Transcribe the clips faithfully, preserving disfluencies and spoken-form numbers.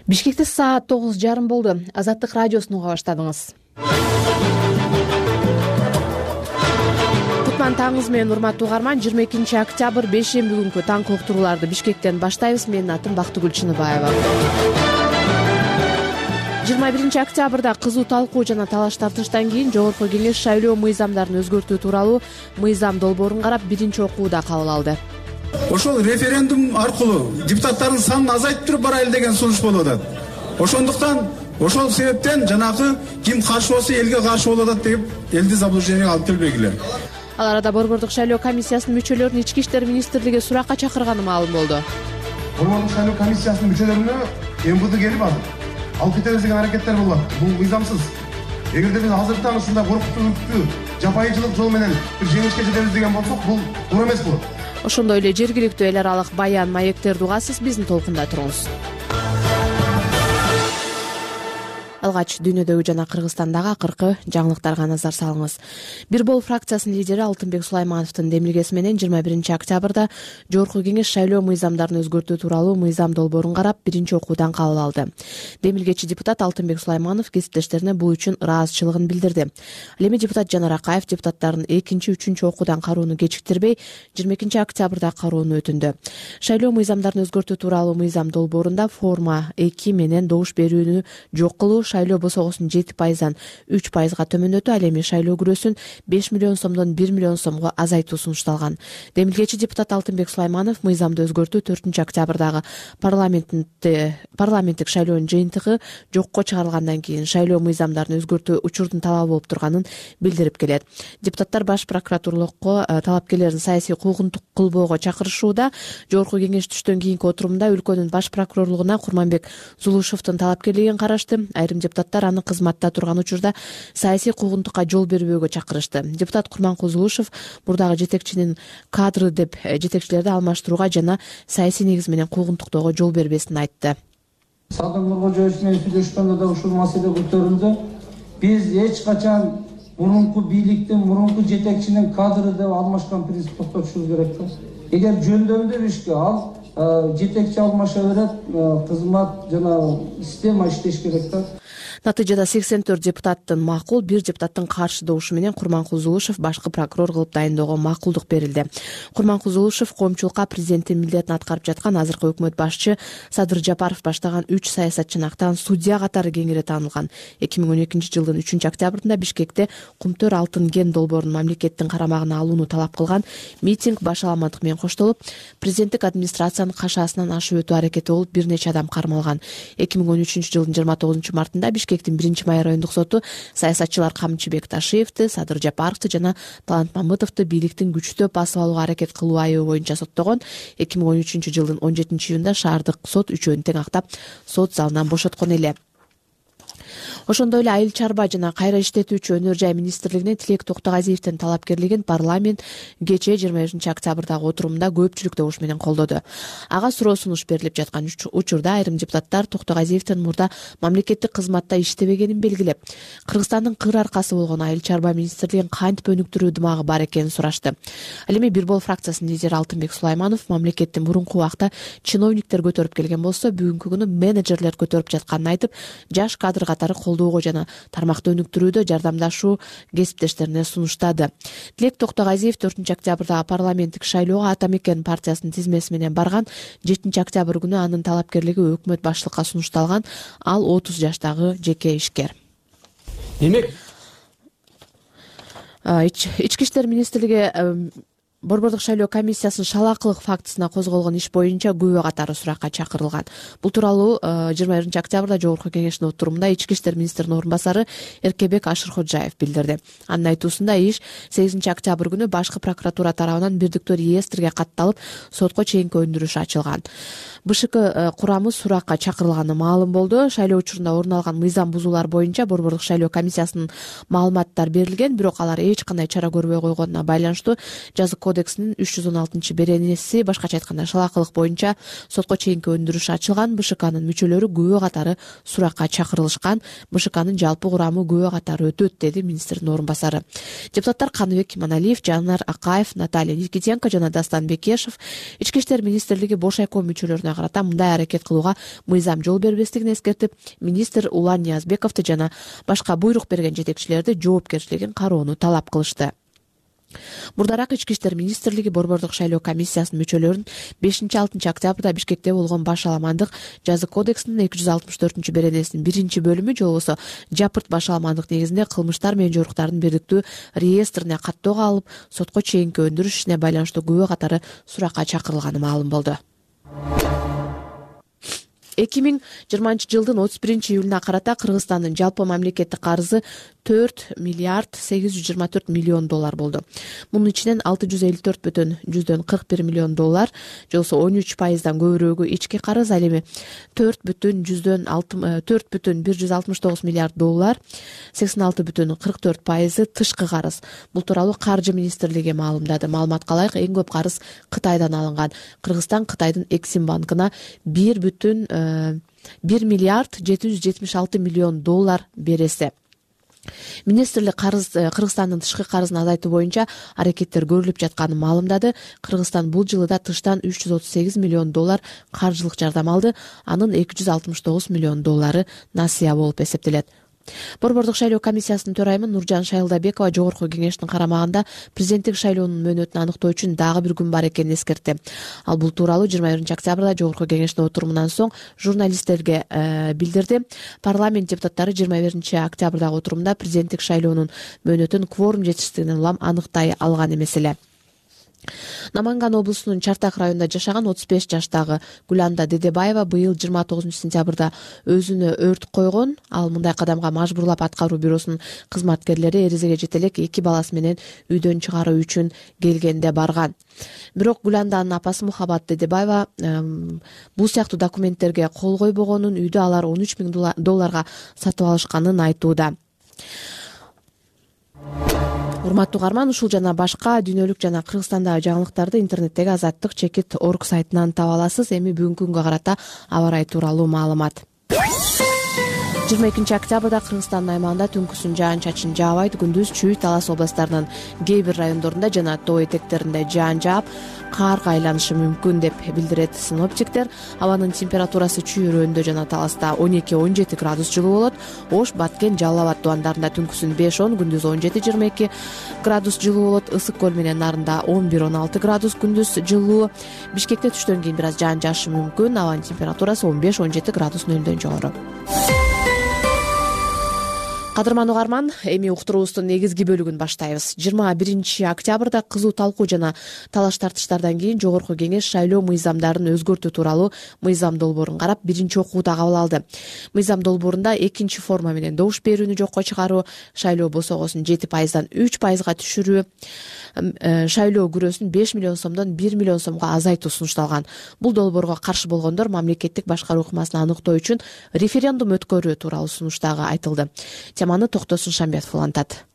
Бишкекте саат тогуз жарым болду. Азаттык радиосун уга баштадыңыз. Кутман таңыңыз менен урматтуу угарман. жыйырма экинчи октябрь бейшемби күнкү таңкы уктурууларды Бишкектен баштайбыз. Менин атым Бактыгүл Чыныбаева. жыйырма биринчи октябрда кызуу талкуу жана талаш тартыштан кийин Жогорку Кеңеш шайлоо мыйзамдарын өзгөртүү тууралуу мыйзам долбоорун карап биринчи окууда кабыл алды. Ошол референдум аркылуу депутаттардын санын азайтып туруп барайлы деген сунуш болуп атат. Ошондуктан ошол себептен жанагы ким каршы болсо элге каршы болуп атат деп элди заблужденияга алып келбегиле. Ал арада Борбордук шайлоо комиссиясынын мүчөлөрүн Ички иштер министрлиги суракка чакырганы маалым болду. Борбордук шайлоо комиссиясынын мүчөлөрүнө эм вэ дэ келип алып кетебиз деген аракеттер болот. Бул мыйзамсыз. Эгерде биз азыртан ушундай коркутуучу жапайычылык жол менен бир жеңишке жетебиз деген болсок, бул туура эмес болот. Ошондой эле жергиликтүү эл аралык баян, маектерди угасыз, биздин толкунда туруңуз. Алгач дүйнөдөгү жана Кыргызстандагы акыркы жаңылыктарга назар салыңыз. Бир бол фракциясынын лидери Алтынбек Сулаймановдун демилгеси менен жыйырма биринчи октябрда Жогорку Кеңеш шайлоо мыйзамдарын өзгөртүү тууралуу мыйзам долбоорун карап биринчи окуудан кабыл алды. Демилгечи депутат Алтынбек Сулайманов кесиптештерине бул үчүн ыраазычылыгын билдирди. Ал эми депутат Жанар Акаев депутаттардын экинчи, үчүнчү окуудан кароону кечиктирбей жыйырма экинчи октябрда кароону өтүндү. Шайлоо мыйзамдарын өзгөртүү тууралуу мыйзам долбоорунда форма эки менен добуш берүүнү жок кылуу, шайлоо босогосун жети пайыздан үч пайызга төмөндөтүү, ал эми шайлоо күрөөсүн беш миллион сомдон бир миллион сомго азайтуу сунушталган. Демилгечи депутат Алтынбек Сулайманов мыйзамды өзгөртүү төртүнчү октябрдагы парламенттик шайлоонун жыйынтыгы жокко чыгарылгандан кийин шайлоо мыйзамдарын өзгөртүү учурдун талабы болуп турганын билдирип келет. Депутаттар Баш прокуратурлукко талапкерлердин саясий куугунтук кылбоого чакырышууда. Жогорку Кеңеш түштөн кийинки отурумда өлкөнүн баш прокурорлугуна Курманбек Зулушевдун талапкерлигин карашты. Айрым депутаттар аны кызматта турган учурда саясий куугунтукка жол бербөөгө чакырышты. Депутат Курманкул Зулушев мурдагы жетекчинин кадры деп жетекчилерди алмаштырууга жана саясий негиз менен куугунтуктоого жол бербесин айтты. Садыр Нуркожоевич менен сүйлөшкөндө да ушул маселе көтөрүлдү. Биз эч качан мурунку бийликтин, мурунку жетекчинин кадры деп алмашкан принцип токтотушубуз керек да. Эгер жөндөмдүү ишке ал жетекчи алмаша берет, кызмат жана система иштеш керек да. Натыйжада сексен төрт депутаттын макул, бир депутаттын каршы добушу менен Курманкул Зулушев башкы прокурор кылып дайындоого макулдук берилди. Курманкул Зулушев коомчулукка президенттин милдетин аткарып жаткан азыркы өкмөт башчы Садыр Жапаров баштаган үч саясатчынактан судья катары кеңири таанылган. эки миң он экинчи жылдын үчүнчү октябрында Бишкекте Кумтөр алтын кен долбоорун мамлекеттин карамагына алууну талап кылган митинг башаламандык менен коштолуп, президенттик администрациянын кашаасынан ашып өтүү аракети болуп бир нече адам кармалган. эки миң он үчүнчү жылдын жыйырма тогузунчу мартында Бишкектин биринчи май райондук соту саясатчылар Камчыбек Ташиевди, Садыр Жапаровду жана Талант Мамытовду бийликтин күчтөп басып алууга аракет кылуу айыбы боюнча соттогон. эки миң он үчүнчү жылдын он жетинчи июнда шаардык сот үчөөнү тең актап сот залынан бошоткон эле. Ошондой эле Айыл чарба жана кайра иштетүүчү өнөр жай министрлигине Тилек Токтогазиевдин талапкерлигин парламент кечээ жыйырма бешинчи октябрдагы отурумда көпчүлүк добуш менен колдоду. Ага суроо сунуш берилип жаткан учурда айрым депутаттар Токтогазиевдин мурда мамлекеттик кызматта иштебегенин белгилеп, Кыргызстандын кыр аркасы болгон Айыл чарба министрлигин кантип өнүктүрүү дымагы бар экенин сурашты. Ал эми бир бол фракциясынын лидери Алтынбек Сулайманов мамлекеттин мурунку убакта чиновниктер көтөрүп келген болсо, бүгүнкү күнү менеджерлер көтөрүп жатканын айтып, жаш кадр катары колдоого жана тармакты өнүктүрүүдө жардамдашуу кесиптештерине сунуштады. Тилек Токтогазиев төртүнчү октябрдагы парламенттик шайлоого Ата Мекен партиясынын тизмеси менен барган. жетинчи октябрь күнү анын талапкерлиги өкмөт баштыкка сунушталган. Ал отуз жаштагы жеке ишкер. Демек, Ички иштер министрлиги Борбордук шайлоо комиссиясынын шалаакылык фактысына козголгон иш боюнча күбө катары суракка чакырылган. Бул тууралуу жыйырма биринчи октябрда Жогорку Кеңештин отурумунда Ички иштер министринин орун басары Эркебек Ашыркожаев билдирди. Анын айтуусунда иш сегизинчи октябрь күнү башкы прокуратура тарабынан бирдиктүү реестрге катталып, сотко чейинки өндүрүш ачылган. бэ шэ ка курамы суракка чакырылганы маалым болду. Шайлоо учурунда орун алган мыйзам бузуулар боюнча Борбордук шайлоо комиссиясынын маалыматтары берилген, бирок алар эч кандай чара көрбөй койгонуна байланыштуу жазык кодексинин үч жүз он алтынчы беренеси, башкача айтканда шалаакылык боюнча сотко чейинки өндүрүш ачылган. бэ шэ канын мүчөлөрү күбө катары суракка чакырылышкан. бэ шэ канын жалпы курамы күбө катары өтөт, деди министрдин орун басары. Депутаттар Каныбек Иманалиев, Жанар Акаев, Наталья Никитенко жана Дастан Бекешев Ички иштер министрлиги бош айком мүчөлөрүнө өкмөтүнө карата мындай аракет кылууга мыйзам жол бербестигин эскертип, министр Улан Ниязбековду жана башка буйрук берген жетекчилерди жоопкерчилигин кароону талап кылышты. Мурдараак Ички иштер министрлиги борбордук шайлоо комиссиясынын мүчөлөрүн бешинчи алтынчы октябрда Бишкекте болгон башаламандык жаза кодексинин эки жүз алтымыш төртүнчү беренесинин биринчи бөлүмү же болбосо жапырт башаламандык негизинде кылмыштар менен жоруктардын бирдиктүү реестрине каттоого алып, сотко чейинки өндүрүш ишине байланыштуу күбө катары суракка чакырылганы маалым болду. эки миң жыйырманчы жылдын отуз биринчи июлуна карата Кыргызстандын жалпы мамлекеттик карызы төрт миллиард сегиз жүз жыйырма төрт миллион доллар болду. Мунун ичинен алты жүз элүү төрт бүтүн жүздөн кырк бир миллион доллар, же болбосо он үч пайыздан көбүрөөгү ички карыз, ал эми төрт бүтүн жүздөн төрт бүтүн бир жүз алтымыш тогуз миллиард доллар, сексен алты бүтүн кырк төрт пайызы тышкы карыз. Бул тууралуу Каржы министрлиги маалымдады. Маалыматка ылайык, эң көп карыз Кытайдан алынган. Кыргызстан Кытайдын Эксим банкына бир бүтүн бир миллиард жети жүз жетимиш алты миллион доллар бересе. Министрлик карыз Кыргызстандын тышкы карызын азайтуу боюнча аракеттер көрүлүп жатканын маалымдады. Кыргызстан бул жылы да тыштан үч жүз отуз сегиз миллион доллар каржылык жардам алды. Анын эки жүз алтымыш тогуз миллион доллары насыя болуп эсептелет. Борбордук шайлоо комиссиясынын төрайымы Нуржан Шайылдабекова жогорку кеңештин карамагында президенттик шайлоонун мөөнөтүн аныктоо үчүн дагы бир күн бар экенин эскертти. Ал бул тууралуу жыйырма биринчи октябрда жогорку кеңештин отурумунан соң журналисттерге билдирди. Парламент депутаттары жыйырма биринчи октябрдагы отурумда президенттик шайлоонун мөөнөтүн кворум жетишсиздигинен улам аныктай алган эмес эле. Наманган облусунун Чартак районунда жашаган отуз беш жаштагы Гүланда Дедебаева быйыл жыйырма тогузунчу сентябрда өзүнө өрт койгон. Ал мындай кадамга мажбурлап аткаруу бюросунун кызматкерлери эризеге жете элек эки баласы менен үйдөн чыгаруу үчүн келгенде барган. Бирок Гүланданын апасы Мухабат Дедебаева бул сыяктуу документтерге кол койбогонун, үйдү алар он үч миң долларга сатып алышканын айтууда. Урматтуу угарман, ушул жана башка дүйнөлүк жана Кыргызстандагы жаңылыктарды интернеттеги азаттык чекит точка орг сайтынан таба аласыз. Эми бүгүнкү күнгө карата аба ырайы тууралуу маалымат. жыйырма экинчи октябрда Кыргызстандын аймагында түнкүсүн жаан-чачын жаабайт, күндүз Чүй, Талас областарынын кээ бир райондорунда жана тоо этектеринде жаан жаап, каарга айланышы мүмкүн деп билдирет синоптиктер. Абанын температурасы Чүй өрөөндө жана Таласта он эки он жети градус жылуу болот. Ош, Баткен, Жалал Абад тубандарында түнкүсүн беш он, күндүз он жети жыйырма эки градус жылуу болот. Ысык көл менен нарында он бир он алты градус күндүз жылуу. Бишкекте түштөн кийин бир аз жаан жаашы мүмкүн. Абанын температурасы он беш он жети градус нөлдөн жогору. Кадырман угарман, эми уктуруубуздун негизги бөлүгүн баштайбыз. жыйырма биринчи октябрда кызуу талкуу жана талаш тартыштардан кийин жогорку кеңеш шайлоо мыйзамдарын өзгөртүү тууралуу мыйзам долбоорун карап, биринчи окууда кабыл алды. Мыйзам долбоорунда экинчи форма менен добуш берүүнү жокко чыгаруу, шайлоо босогосун жети пайыздан үч пайызга түшүрүү, шайлоо күрөөсүн беш миллион сомдон бир миллион сомго азайтуу сунушталган. Бул долбоорго каршы болгондор мамлекеттик башкаруу ыкмасын аныктоо үчүн референдум өткөрүү тууралуу сунуш дагы айтылды. Теманы Токтосун Шамбетов улантат.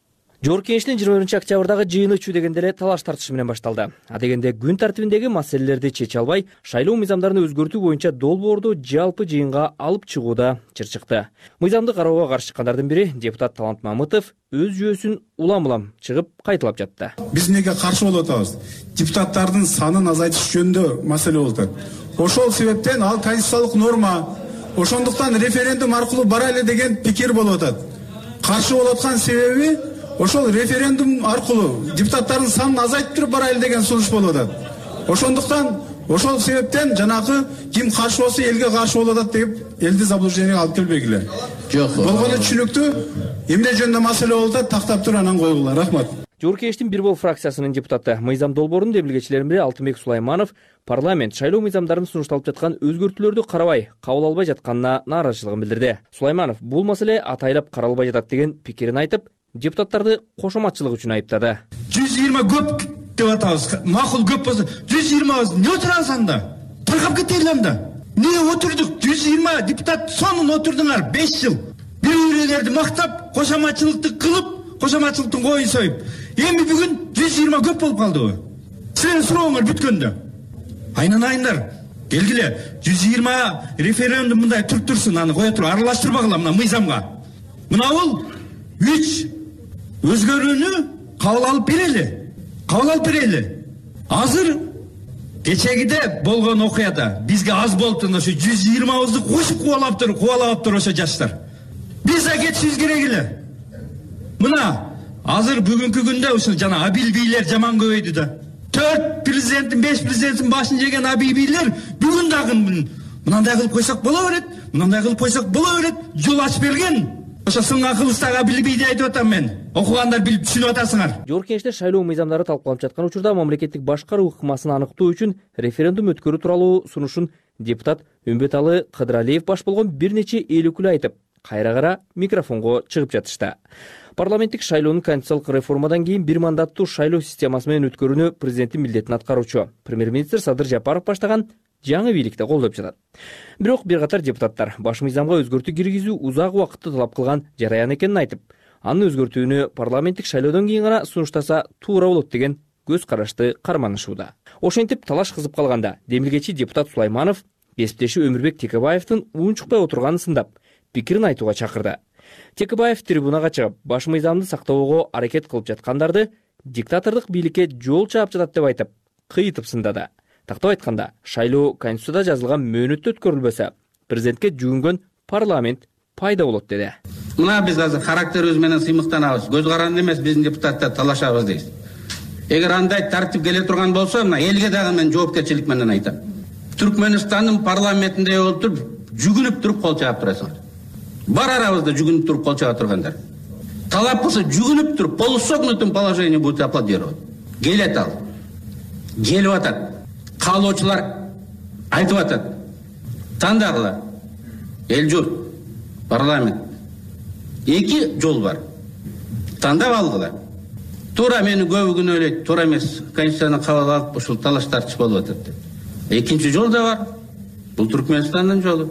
Жогорку кеңештин жыйырма биринчи октябрдагы жыйыны Чүй дегенде эле талаш тартышы менен башталды. А дегенде күн тартибиндеги маселелерди чече албай, шайлоо мыйзамдарын өзгөртүү боюнча долбоорду жалпы жыйынга алып чыгууда чыр-чыкты. Мыйзамды кароого каршы чыккандардын бири депутат Талант Мамытов өз жүйөсүн улам-улам чыгып кайталап жатты. Биз эмнеге каршы болуп атабыз? Депутаттардын санын азайтыш жөнүндө маселе болуп атат. Ошол себептен ал конституциялык норма, ошондуктан референдум аркылуу барайлы деген пикир болуп атат. Каршы болуп аткан себеби ошол референдум аркылуу депутаттардын санын азайтып туруп барайлы деген сунуш болуп атат. Ошондуктан ошол себептен жанагы ким каршы болсо элге каршы болуп атат деп элди заблужденияга алып келбегиле. Жок. Болгону түшүнүктүү. Эмне жөнүндө маселе болуп атат, тактап туруп анан койгула. Рахмат. Жогорку кеңештин бир бол фракциясынын депутаты, мыйзам долбоорунун демилгечилеринин бири Алтынбек Сулайманов парламент шайлоо мыйзамдарын сунушталып жаткан өзгөртүүлөрдү карабай, кабыл албай жатканына нааразычылыгын билдирди. Сулайманов бул маселе атайлап каралбай жатат деген пикирин айтып, депутаттарды кошоматчылык үчүн айыптады. жүз жыйырма көп деп атабыз. Макул көп болсо жүз жыйырма эмне отурабыз анда? Таркап кетели анда. Эмне отурдук? жүз жыйырма депутат сонун отурдуңар беш жыл. Бири-бирлерди мактап, кошоматчылыкты кылып, кошоматчылыктын коюн союп. Эми бүгүн жүз жыйырма көп болуп калдыбы? Силердин сурооңор бүткөндө. Айнанайындар, келгиле, жүз жыйырма референдум мындай туруп турсун, аны кое туруп аралаштырбагыла мына мыйзамга. Мына бул үч өзгөрүүнү кабыл алып берели. Кабыл алып берели. Азыр кечегиде болгон окуяда бизге аз болуптун ошо жүз жыйырмабызды кошуп кубалаптыр кубалаптыр ошо жаштар. Биз да кетишибиз керек эле. Мына азыр бүгүнкү күндө ушул жана абил бийлер жаман көбөйдү да. төрт президенттин, беш президенттин башын жеген абил бийлер бүгүн дагы мынандай кылып койсок боло берет, мынандай кылып койсок боло берет, жол ачып берген. Ошо сынган кылычтагы абил бийди айтып атам мен. Окугандар билип түшүнүп атасыңар. Жогорку Кеңеште шайлоо мыйзамдары талкууланып жаткан учурда мамлекеттик башкаруу ыкмасын аныктоо үчүн референдум өткөрүү тууралуу сунушун депутат Үмбеталы Кыдыралиев баш болгон бир нече эл өкүлү айтып, кайра-кайра микрофонго чыгып жатышты. Парламенттик шайлоонун конституциялык реформадан кийин бир мандаттуу шайлоо системасы менен өткөрүүнү президенттин милдетин аткаруучу премьер-министр Садыр Жапаров баштаган жаңы бийликте колдоп жатат. Бирок бир катар депутаттар баш мыйзамга өзгөртүү киргизүү узак убакытты талап кылган жараян экенин айтып, анын өзгөртүүнү парламенттик шайлоодон кийин гана сунуштаса туура болот деген көз карашты карманышууда. Ошентип талаш кызып калганда демилгечи депутат Сулайманов кесиптеши Өмүрбек Текебаевдин унчукпай отурганын сындап, пикирин айтууга чакырды. Текебаев трибунага чыгып, баш мыйзамды сактоого аракет кылып жаткандарды диктатордук бийликке жол чаап жатат деп айтып, кыйытып сындады. Тактап айтканда, шайлоо конституцияда жазылган мөөнөттө өткөрүлбөсө, президентке жүгүнгөн парламент пайда болот деди. Мына биз азыр характерибиз менен сыймыктанабыз. Көз каранды эмес биздин депутаттар талашабыз дейбиз. Эгер андай тартип келе турган болсо, мына элге дагы мен жоопкерчилик менен айтам. Түркмөнстандын парламентинде отуруп, жүгүнүп туруп кол чаап турасыңар. Бар арабызда жүгүнүп туруп кол чаап тургандар. Талап кылса жүгүнүп туруп, полусогнутым положение будет аплодировать. Келет ал. Келип атат. Каалоочулар айтып атат. Тандагыла. Эл журт, парламент. Эки жол бар. Тандап алгыла. Туура мени көбү күнөөлөйт, туура эмес. Конституцияны кабыл алып, ушул талаш тартыш болуп атат деп. Экинчи жол да бар. Бул Түркмөнстандын жолу.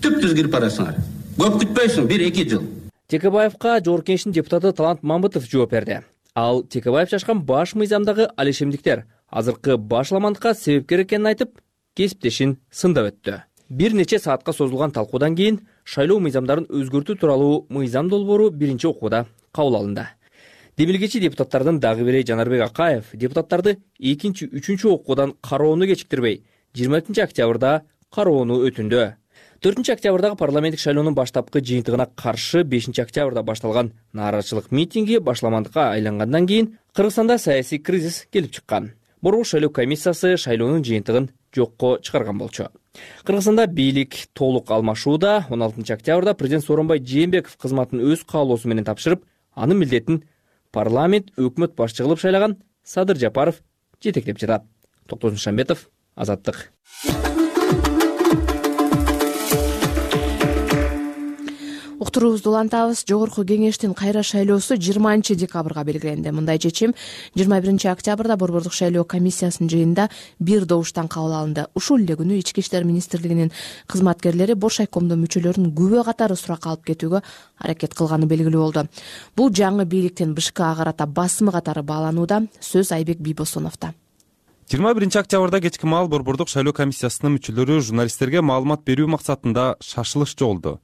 Түп-түз кирип барасыңар. Көп күтпөйсүң, бир-эки жыл. Текебаевка Жогорку Кеңештин депутаты Талант Мамбытов жооп берди. Ал Текебаев чачкан баш мыйзамдагы алишемдиктер азыркы башламандыкка себепкер экенин айтып, кесиптешин сындап өттү. Бир нече саатка созулган талкуудан кийин шайлоо мыйзамдарын өзгөртүү тууралуу мыйзам долбоору биринчи окууда кабыл алынды. Демилгечи депутаттардын дагы бири Жанарбек Акаев депутаттарды экинчи, үчүнчү окуудан кароону кечиктирбей, жыйырма экинчи октябрда кароону өтүндү. төртүнчү октябрдагы парламенттик шайлоонун баштапкы жыйынтыгына каршы бешинчи октябрда башталган нааразычылык митинги башламандыкка айлангандан кийин Кыргызстанда саясий кризис келип чыккан. Борбор шайлоо комиссиясы шайлоонун жыйынтыгын жокко чыгарган болчу. Кыргызстанда бийлик толук алмашууда. он алтынчы октябрда президент Сооронбай Жээнбеков кызматын өз каалоосу менен тапшырып, анын милдетин парламент өкмөт башчы кылып шайлаган Садыр Жапаров жетектеп жатат. Токтосун Шамбетов, Азаттык. Уктуруубузду улантабыз. Жогорку Кеңештин кайра шайлоосу жыйырманчы декабрга белгиленди. Мындай чечим жыйырма биринчи октябрда борбордук шайлоо комиссиясынын жыйынында бир добуштан кабыл алынды. Ушул эле күнү Ички иштер министрлигинин кызматкерлери Боршайкомдун мүчөлөрүн күбө катары суракка алып кетүүгө аракет кылганы белгилүү болду. Бул жаңы бийликтин БШКга карата басымы катары бааланууда. Сөз Айбек Бийбосоновдо. жыйырма биринчи октябрда кечки маал борбордук шайлоо комиссиясынын мүчөлөрү журналисттерге маалымат берүү максатында шашылыш жолду.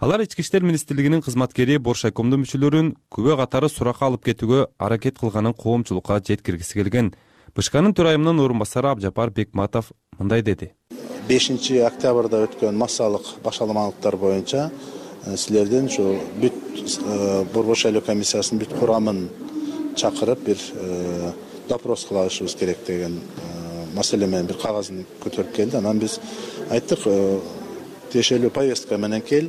Алар Ички иштер министрлигинин кызматкери Боршайкомдун мүчөлөрүн күбө катары суракка алып кетүүгө аракет кылганын коомчулукка жеткиргиси келген. БШКнын төрайымынын орун басары Абжапар Бекматов мындай деди. бешинчи октябрда өткөн массалык башаламалыктар боюнча силердин ушу бүт борбор шайлоо комиссиясынын бүт курамын чакырып бир допрос кылышыбыз керек деген маселе менен бир кагазын көтөрүп келди. Анан биз айттык, тиешелүү повестка менен кел,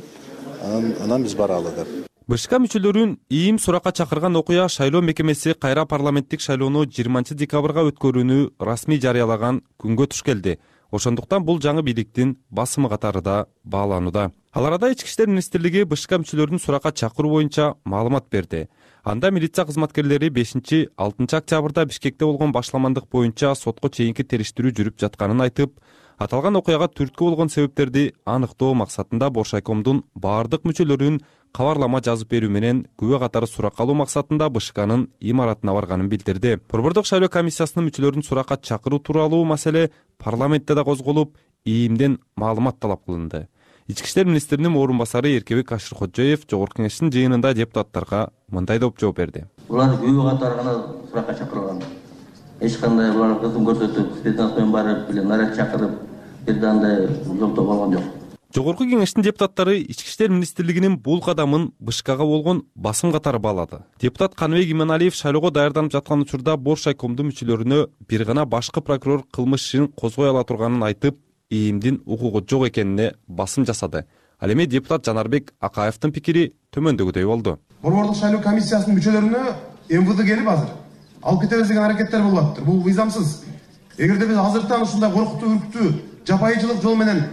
анан биз баралы деп. БШК мүчөлөрүн ийим суракка чакырган окуя шайлоо мекемеси кайра парламенттик шайлоону жыйырманчы декабрга өткөрүүнү расмий жарыялаган күнгө туш келди. Ошондуктан бул жаңы бийликтин басымы катары да бааланууда. Ал арада Ички иштер министрлиги БШК мүчөлөрүн суракка чакыруу боюнча маалымат берди. Анда милиция кызматкерлери бешинчи алтынчы октябрда Бишкекте болгон башламандык боюнча сотко чейинки териштирүү жүрүп жатканын айтып, аталган окуяга түрткү болгон себептерди аныктоо максатында Боршайкомдун баардык мүчөлөрүн кабарлама жазып берүү менен күбө катары суракка алуу максатында БШКнын имаратына барганын билдирди. Борбордук шайлоо комиссиясынын мүчөлөрүн суракка чакыруу тууралуу маселе парламентте да козголуп, ийимден маалымат талап кылынды. Ички иштер министринин орун басары Эркебек Ашыркоджоев Жогорку Кеңештин жыйынында депутаттарга мындай деп жооп берди. Булар күбө катары гана суракка чакырылган. эч кандай булар кызым көрсөтүп спецназ менен барып эле наряд чакырып бир да андай жолтоо болгон жок. Жогорку кеңештин депутаттары Ички иштер министрлигинин бул кадамын БШКга болгон басым катары баалады. Депутат Каныбек Иманалиев шайлоого даярданып жаткан учурда Боршайкомдун мүчөлөрүнө бир гана башкы прокурор кылмыш ишин козгой ала турганын айтып, ИИМдин укугу жок экенине басым жасады. Ал эми депутат Жанарбек Акаевдин пикири төмөндөгүдөй болду. Борбордук шайлоо комиссиясынын мүчөлөрүнө МВД келип азыр алып кетебиз деген аракеттер болуп атыптыр. Бул мыйзамсыз. Эгерде биз азыртан ушундай коркуттуу, үркүттүү, жапайычылык жол менен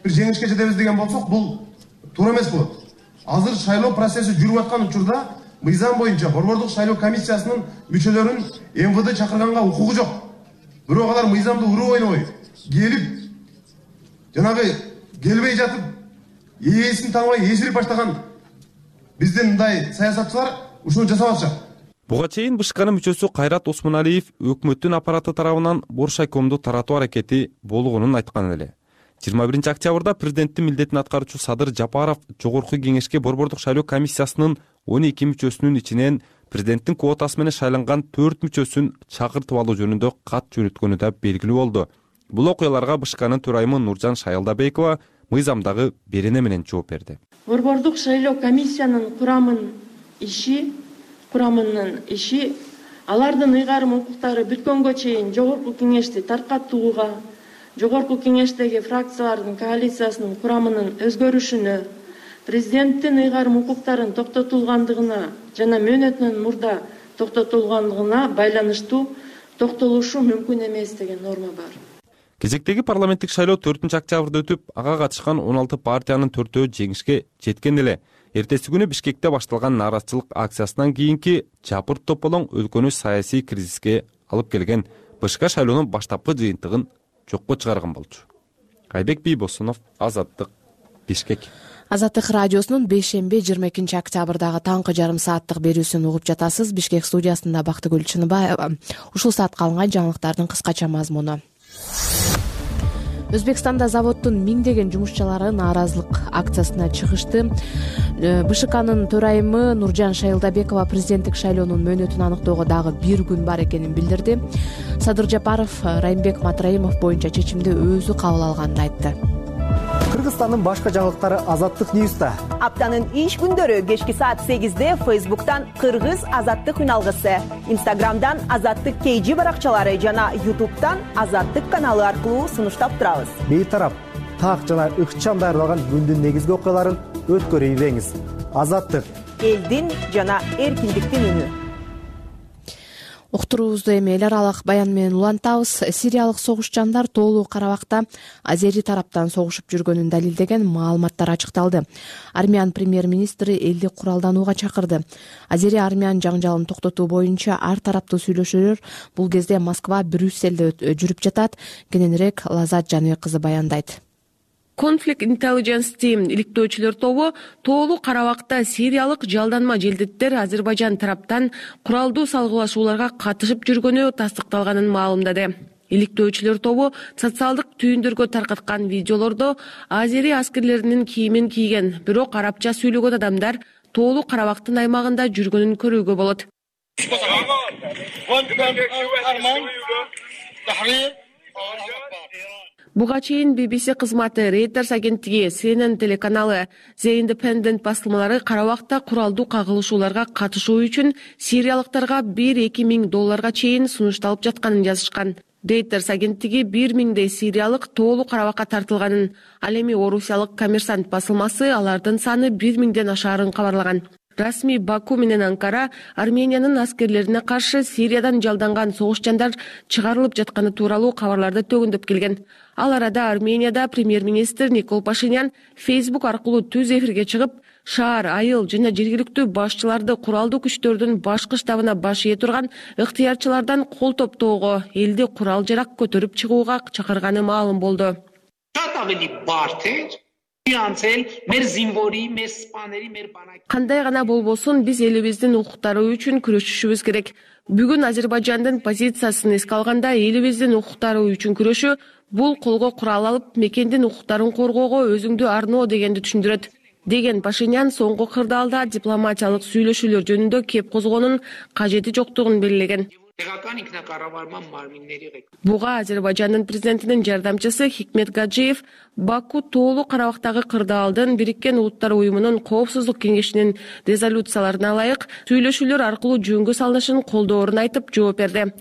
бир жеңишке жетебиз деген болсок, бул туура эмес болот. Азыр шайлоо процесси жүрүп аткан учурда мыйзам боюнча Борбордук шайлоо комиссиясынын мүчөлөрүн МВД чакырганга укугу жок. Бирок алар мыйзамды уруу ойнобой келип, жанагы келбей жатып, ээсин тааныбай эсирип баштаган биздин мындай саясатчылар ушуну жасап атышат. Буга чейин БШКнын мүчөсү Кайрат Осмоналиев өкмөттүн аппараты тарабынан Боршайкомду таратуу аракети болгонун айткан эле. жыйырма биринчи октябрда президенттин милдетин аткаруучу Садыр Жапаров Жогорку кеңешке Борбордук шайлоо комиссиясынын он эки мүчөсүнүн ичинен президенттин квотасы менен шайланган төрт мүчөсүн чакыртып алуу жөнүндө кат жөнөткөнү да белгилүү болду. Бул окуяларга БШКнын төрайымы Нуржан Шайылдабекова мыйзамдагы берене менен жооп берди. Борбордук шайлоо комиссиянын курамын иши курамынын иши алардын ыйгарым укуктары бүткөнгө чейин Жогорку кеңешти таркатууга, Жогорку кеңештеги фракциялардын коалициясынын курамынын өзгөрүшүнө, президенттин ыйгарым укуктарын токтотулгандыгына жана мөөнөтүнөн мурда токтотулгандыгына байланыштуу токтолушу мүмкүн эмес деген норма бар. Кезектеги парламенттик шайлоо төртүнчү октябрда өтүп, ага катышкан он алты партиянын төртөө жеңишке жеткен эле. Эртеси күнү Бишкекте башталган нааразычылык акциясынан кийинки жапырт тополоң өлкөнү саясий кризиске алып келген. БШК шайлоонун баштапкы жыйынтыгын жокко чыгарган болчу. Айбек Бийбосунов, Азаттык, Бишкек. Азаттык радиосунун бейшемби жыйырма экинчи октябрдагы таңкы жарым сааттык берүүсүн угуп жатасыз. Бишкек студиясында Бактыгүл Чыныбаева. Ушул саатка алынган жаңылыктардын кыскача мазмуну. Өзбекстанда заводдун миңдеген жумушчулары нааразылык акциясына чыгышты. БШКнын төрайымы Нуржан Шайылдабекова президенттик шайлоонун мөөнөтүн аныктоого дагы бир күн бар экенин билдирди. Садыр Жапаров Райымбек Матраимов боюнча чечимди өзү кабыл алганын айтты. Кыргызстандын башка жаңылыктары Азаттык Ньюста. Аптанын иш күндөрү кечки саат сегизде Фейсбуктан Кыргыз Азаттык үналгысы, Инстаграмдан Азаттык кей жи баракчалары жана Ютубтан Азаттык каналы аркылуу сунуштап турабыз. Бейтарап, так жана ыкчам даярдалган күндүн негизги окуяларын өткөрүп ийбеңиз. Азаттык элдин жана эркиндиктин үнү. Уктуруубузду эми эл аралык баян менен улантабыз. Сириялык согушчандар Тоолуу Карабакта Азери тараптан согушуп жүргөнүн далилдеген маалыматтар ачыкталды. Армян премьер-министри элди куралданууга чакырды. Азери армян жаңжалын токтотуу боюнча ар тараптуу сүйлөшүүлөр бул кезде Москва, Брюсселде жүрүп жатат. Кененирээк Лазат Жаныбек кызы баяндайт. Conflict Intelligence Team иликтөөчүлөр тобу Тоолуу Карабакта сириялык жалданма желдеттер Азербайжан тараптан куралдуу салгылашууларга катышып жүргөнү тастыкталганын маалымдады. Иликтөөчүлөр тобу социалдык түйүндөргө таркаткан видеолордо Азери аскерлеринин кийимин кийген, бирок арабча сүйлөгөн адамдар Тоолуу Карабактын аймагында жүргөнүн көрүүгө болот. Буга чейин би би си кызматы, Reuters агенттиги, Си Эн Эн телеканалы, The Independent басылмалары Карабакта куралдуу кагылышууларга катышуу үчүн сириялыктарга бир-эки миң долларга чейин сунушталып жатканын жазышкан. Reuters агенттиги бир миңдей сириялык Тоолуу Карабакка тартылганын, ал эми орусиялык Коммерсант басылмасы алардын саны бир миңден ашаарын кабарлаган. Расмий Баку менен Анкара Армениянын аскерлерине каршы Сириядан жалданган согушчандар чыгарылып жатканы тууралуу кабарларды төгүндөп келген. Ал арада Арменияда премьер-министр Никол Пашинян Facebook аркылуу түз эфирге чыгып, шаар, айыл жана жергиликтүү башчыларды куралдуу күчтөрдүн башкы штабына баш ие турган ыктыярчылардан кол топтоого, элди курал жарак көтөрүп чыгууга чакырганы маалым болду. Кандай гана болбосун, биз элибиздин укуктары үчүн күрөшүшүбүз керек. Бүгүн Азербайжандын позициясын эске алганда, элибиздин укуктары үчүн күрөшүү бул колго курал алып, мекендин укуктарын коргоого өзүңдү арноо дегенди түшүндүрөт, деген Пашинян соңку кырдаалда дипломатиялык сүйлөшүүлөр жөнүндө кеп козгоонун кажети жоктугун белгилеген. Буга Азербайжандын президентинин жардамчысы Хикмет Гаджиев Баку тоолуу Карабактагы кырдаалдын Бириккен Улуттар уюмунун Коопсуздук кеңешинин резолюцияларына ылайык сүйлөшүүлөр аркылуу жөнгө салынышын колдоорун айтып жооп берди.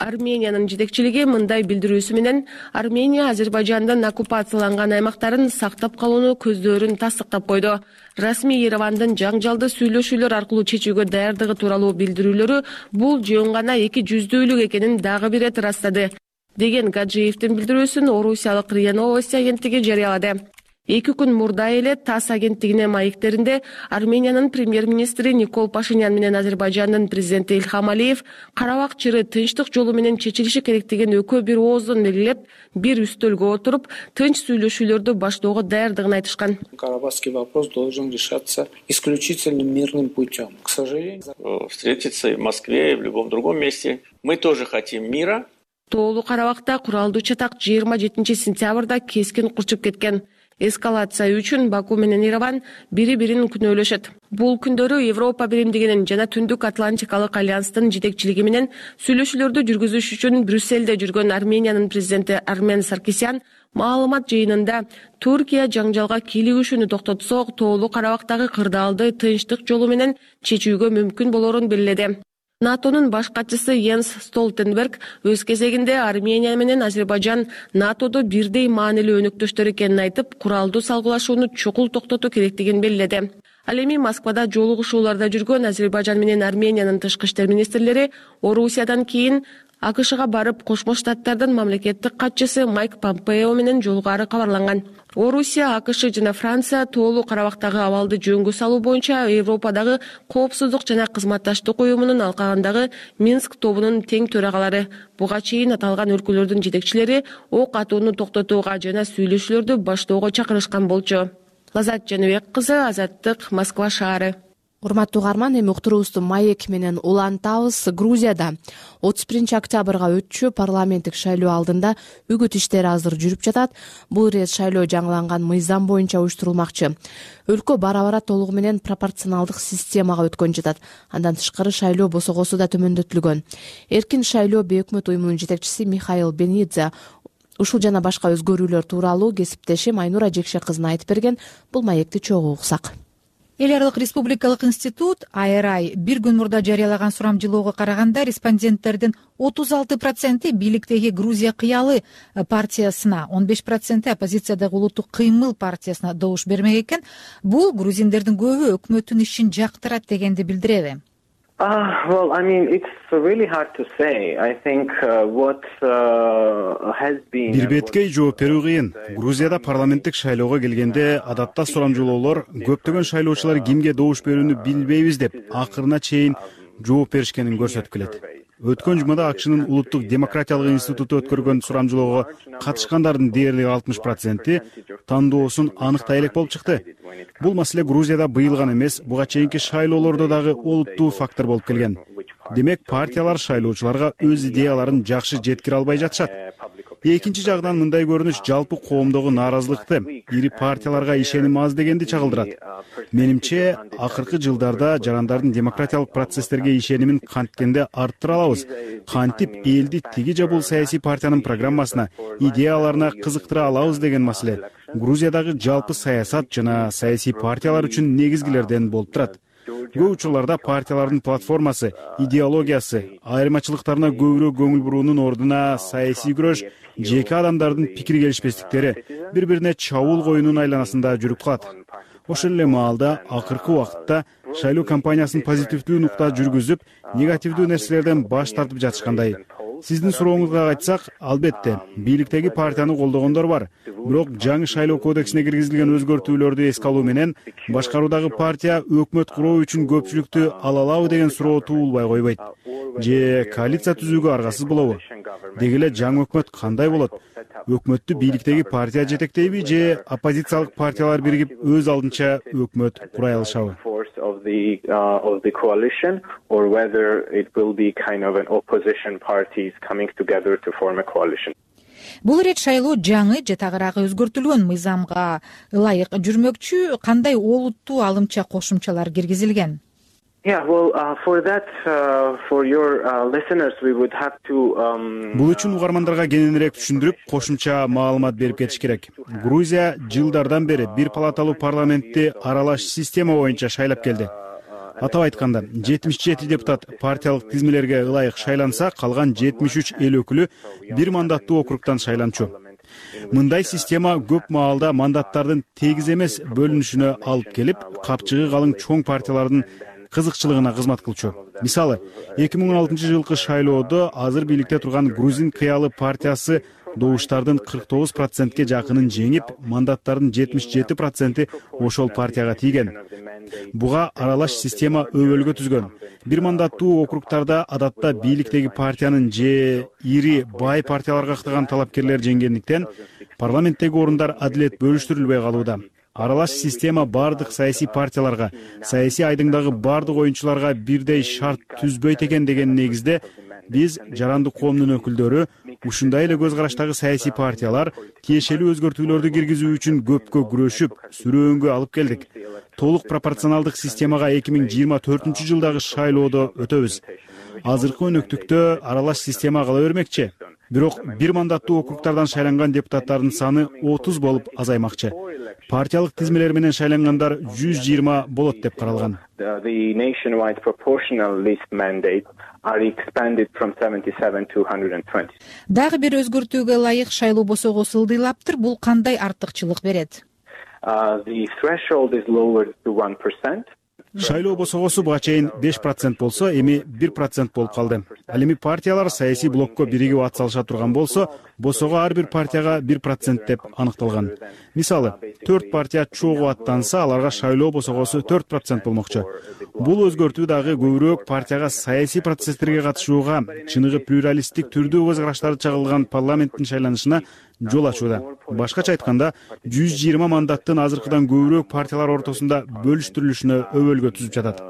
Армениянын жетекчилиги мындай билдирүүсү менен Армения Азербайжандын оккупацияланган аймактарын сактап калууну көздөрүн тастыктап койду. Расмий Еревандын жаңжалды сүйлөшүүлөр аркылуу чечүүгө даярдыгы тууралуу билдирүүлөрү бул жөн гана эки жүздүүлүк экенин дагы бир ирет ырастады, деген Гаджиевдин билдирүүсүн Орусиялык РИА Новости агенттиги жарыялады. Эки күн мурда эле ТАСС агенттигине маектеринде Армениянын премьер-министри Никол Пашинян менен Азербайжандын президенти Ильхам Алиев Карабак чыры тынчтык жолу менен чечилиши керектигин экөө бир ооздон белгилеп, бир үстөлгө отуруп, тынч сүйлөшүүлөрдү баштоого даярдыгын айтышкан. Карабахский вопрос должен решаться исключительно мирным путем. К сожалению, встретиться в Москве и в любом другом месте. Мы тоже хотим мира. Тоолуу Карабакта куралдуу чатак жыйырма жетинчи сентябрда кескин курчуп кеткен. Эскалация үчүн Баку менен Ереван бири-бирин күнөөлөшөт. Бул күндөрү Европа биримдигинин жана Түндүк Атлантикалык альянстын жетекчилиги менен сүйлөшүүлөрдү жүргүзүш үчүн Брюсселде жүргөн Армениянын президенти Армен Саркисян маалымат жыйынында Туркия жаңжалга кийлигишүүнү токтотсок, Тоолуу Карабактагы кырдаалды тынчтык жолу менен чечүүгө мүмкүн болорун белгиледи. НАТОнун баш катчысы Йенс Столтенберг өз кезегинде Армения менен Азербайжан НАТОдо бирдей маанилүү өнөктөштөр экенин айтып, куралдуу салгылашууну чукул токтотуу керектигин белгиледи. Ал эми Москвада жолугушууларда жүргөн Азербайжан менен Армениянын тышкы иштер министрлери Орусиядан кийин АКШга барып, Кошмо Штаттардын мамлекеттик катчысы Майк Помпео менен жолугаары кабарланган. Орусия, АКШ жана Франция Тоолуу Карабактагы абалды жөнгө салуу боюнча Европадагы Коопсуздук жана кызматташтык уюмунун алкагындагы Минск тобунун тең төрагалары. Буга чейин аталган өлкөлөрдүн жетекчилери ок атууну токтотууга жана сүйлөшүүлөрдү баштоого чакырышкан болчу. Лазат Жаныбек кызы, Азаттык, Москва шаары. Урматтуу угарман, эми уктуруубузду маек менен улантабыз. Грузияда отуз биринчи октябрга өтчү парламенттик шайлоо алдында үгүт иштери азыр жүрүп жатат. Бул ирет шайлоо жаңыланган мыйзам боюнча уюштурулмакчы. Өлкө бара-бара толугу менен пропорционалдык системага өткөн жатат. Андан тышкары шайлоо босогосу да төмөндөтүлгөн. Эркин шайлоо бейөкмөт уюмунун жетекчиси Михаил Бенидзе ушул жана башка өзгөрүүлөр тууралуу кесиптешим Айнура Жекше кызына айтып берген. Бул маекти чогуу уксак. Эл аралык республикалык институт ай эр ай бир күн мурда жарыялаган сурамжылоого караганда респонденттердин отуз алты проценти бийликтеги Грузия кыялы партиясына, он беш проценти оппозициядагы улуттук кыймыл партиясына добуш бермек экен. Бул грузиндердин көбү өкмөттүн ишин жактырат дегенди билдиреби? Uh, well, I mean, it's really hard to say. I think uh, what uh, has been... Бир беткей жооп берүү кыйын. Грузияда парламенттик шайлоого келгенде адатта сурамжылоолор көптөгөн шайлоочулар кимге добуш берүүнү билбейбиз деп акырына чейин жооп беришкенин көрсөтүп келет. Өткөн жумада АКШнын улуттук демократиялык институту өткөргөн сурамжылоого катышкандардын дээрлик алтымыш проценти тандоосун аныктай элек болуп чыкты. Бул маселе Грузияда быйыл гана эмес, буга чейинки шайлоолордо дагы олуттуу фактор болуп келген. Демек, партиялар шайлоочуларга өз идеяларын жакшы жеткире албай жатышат. Экинчи жагынан мындай көрүнүш жалпы коомдогу нааразылыкты, ири партияларга ишеним аз дегенди чагылдырат. Менимче, акыркы жылдарда жарандардын демократиялык процесстерге ишенимин канткенде арттыра алабыз. Кантип элди тиги же бул саясий партиянын программасына, идеяларына кызыктыра алабыз деген маселе Грузиядагы жалпы саясат жана саясий партиялар үчүн негизгилерден болуп турат. Көп учурларда партиялардын платформасы, идеологиясы, айырмачылыктарына көбүрөөк көңүл буруунун ордуна саясий күрөш, жеке адамдардын пикир келишпестиктери бири-бирине чабуул коюунун айланасында жүрүп калат. Ошол эле маалда акыркы убакытта шайлоо кампаниясын позитивдүү нукта жүргүзүп, негативдүү нерселерден баш тартып жатышкандай. Сиздин сурооңузга айтсак, албетте, бийликтеги партияны колдогондор бар. Бирок жаңы шайлоо кодексине киргизилген өзгөртүүлөрдү эске алуу менен башкаруудагы партия өкмөт куруу үчүн көпчүлүктү ала алабы деген суроо туулбай койбойт. Же коалиция түзүүгө аргасыз болобу? Деги эле жаңы өкмөт кандай болот? Өкмөттү бийликтеги партия жетектейби же оппозициялык партиялар биригип өз алдынча өкмөт курай алышабы? Of the uh, of the coalition, or whether it will be kind of an opposition parties coming together to form a coalition. Бул ирет шайлоо жаңы же тагыраагы өзгөртүлгөн мыйзамга ылайык жүрмөкчү, кандай олуттуу алымча кошумчалар киргизилген? Yeah, well, uh, for that, uh, for your uh, listeners, we would have to. Um... Бул үчүн угармандарга кененирээк түшүндүрүп, кошумча маалымат берип кетиш керек. Грузия жылдардан бери бир палаталуу парламентти аралаш система боюнча шайлап келди. Атап айтканда, жетимиш жети депутат партиялык тизмелерге ылайык шайланса, калган жетимиш үч эл өкүлү бир мандаттуу округтан шайланчу. Мындай система көп маалда мандаттардын тегиз эмес бөлүнүшүнө алып келип, капчыгы калың чоң партиялардын кызыкчылыгына кызмат кылчу. Мисалы, эки миң он алтынчы жылкы шайлоодо азыр бийликте турган Грузин кыялы партиясы добуштардын кырк тогуз процентке жакынын жеңип, мандаттардын жетимиш жети проценти ошол партияга тийген. Буга аралаш система өбөлгө түзгөн. Бир мандаттуу округтарда адатта бийликтеги партиянын же ири бай партияларга ыктаган талапкерлер жеңгендиктен парламенттеги орундар адилет бөлүштүрүлбөй калууда. Аралаш система бардык саясий партияларга, саясий айдыңдагы бардык оюнчуларга бирдей шарт түзбөйт экен деген негизде биз жарандык коомдун өкүлдөрү ушундай эле көз караштагы саясий партиялар тиешелүү өзгөртүүлөрдү киргизүү үчүн көпкө күрөшүп, сүрөөнгө алып келдик. Толук пропорционалдык системага эки миң жыйырма төртүнчү жылдагы шайлоодо өтөбүз. Азыркы өнөктүктө аралаш система кала бермекчи. Бирок бир мандаттуу округтардан шайланган депутаттардын саны отуз болуп азаймакчы. Партиялык тизмелер менен шайлангандар жүз жыйырма болот деп каралган. The nationwide proportional list mandate are expanded from seventy-seven to one hundred twenty. Дагы бир өзгөртүүгө ылайык шайлоо босогосу ылдыйлаптыр. Бул кандай артыкчылык берет? Uh, the threshold is lowered to one percent. Шайлоо босогосу буга чейин беш процент болсо, эми бир процент болуп калды. Ал эми партиялар саясий блокко биригип ат салыша турган болсо, босого ар бир партияга бир процент деп аныкталган. Мисалы, төрт партия чогуу аттанса, аларга шайлоо босогосу төрт процент болмокчу. Бул өзгөртүү дагы көбүрөөк партияга саясий процесстерге катышууга, чыныгы плюралисттик түрдүү көз караштары чагылган парламенттин шайланышына жол ачууда. Башкача айтканда, жүз жыйырма мандаттын азыркыдан көбүрөөк партиялар ортосунда бөлүштүрүлүшүнө өбөлгө түзүп жатат.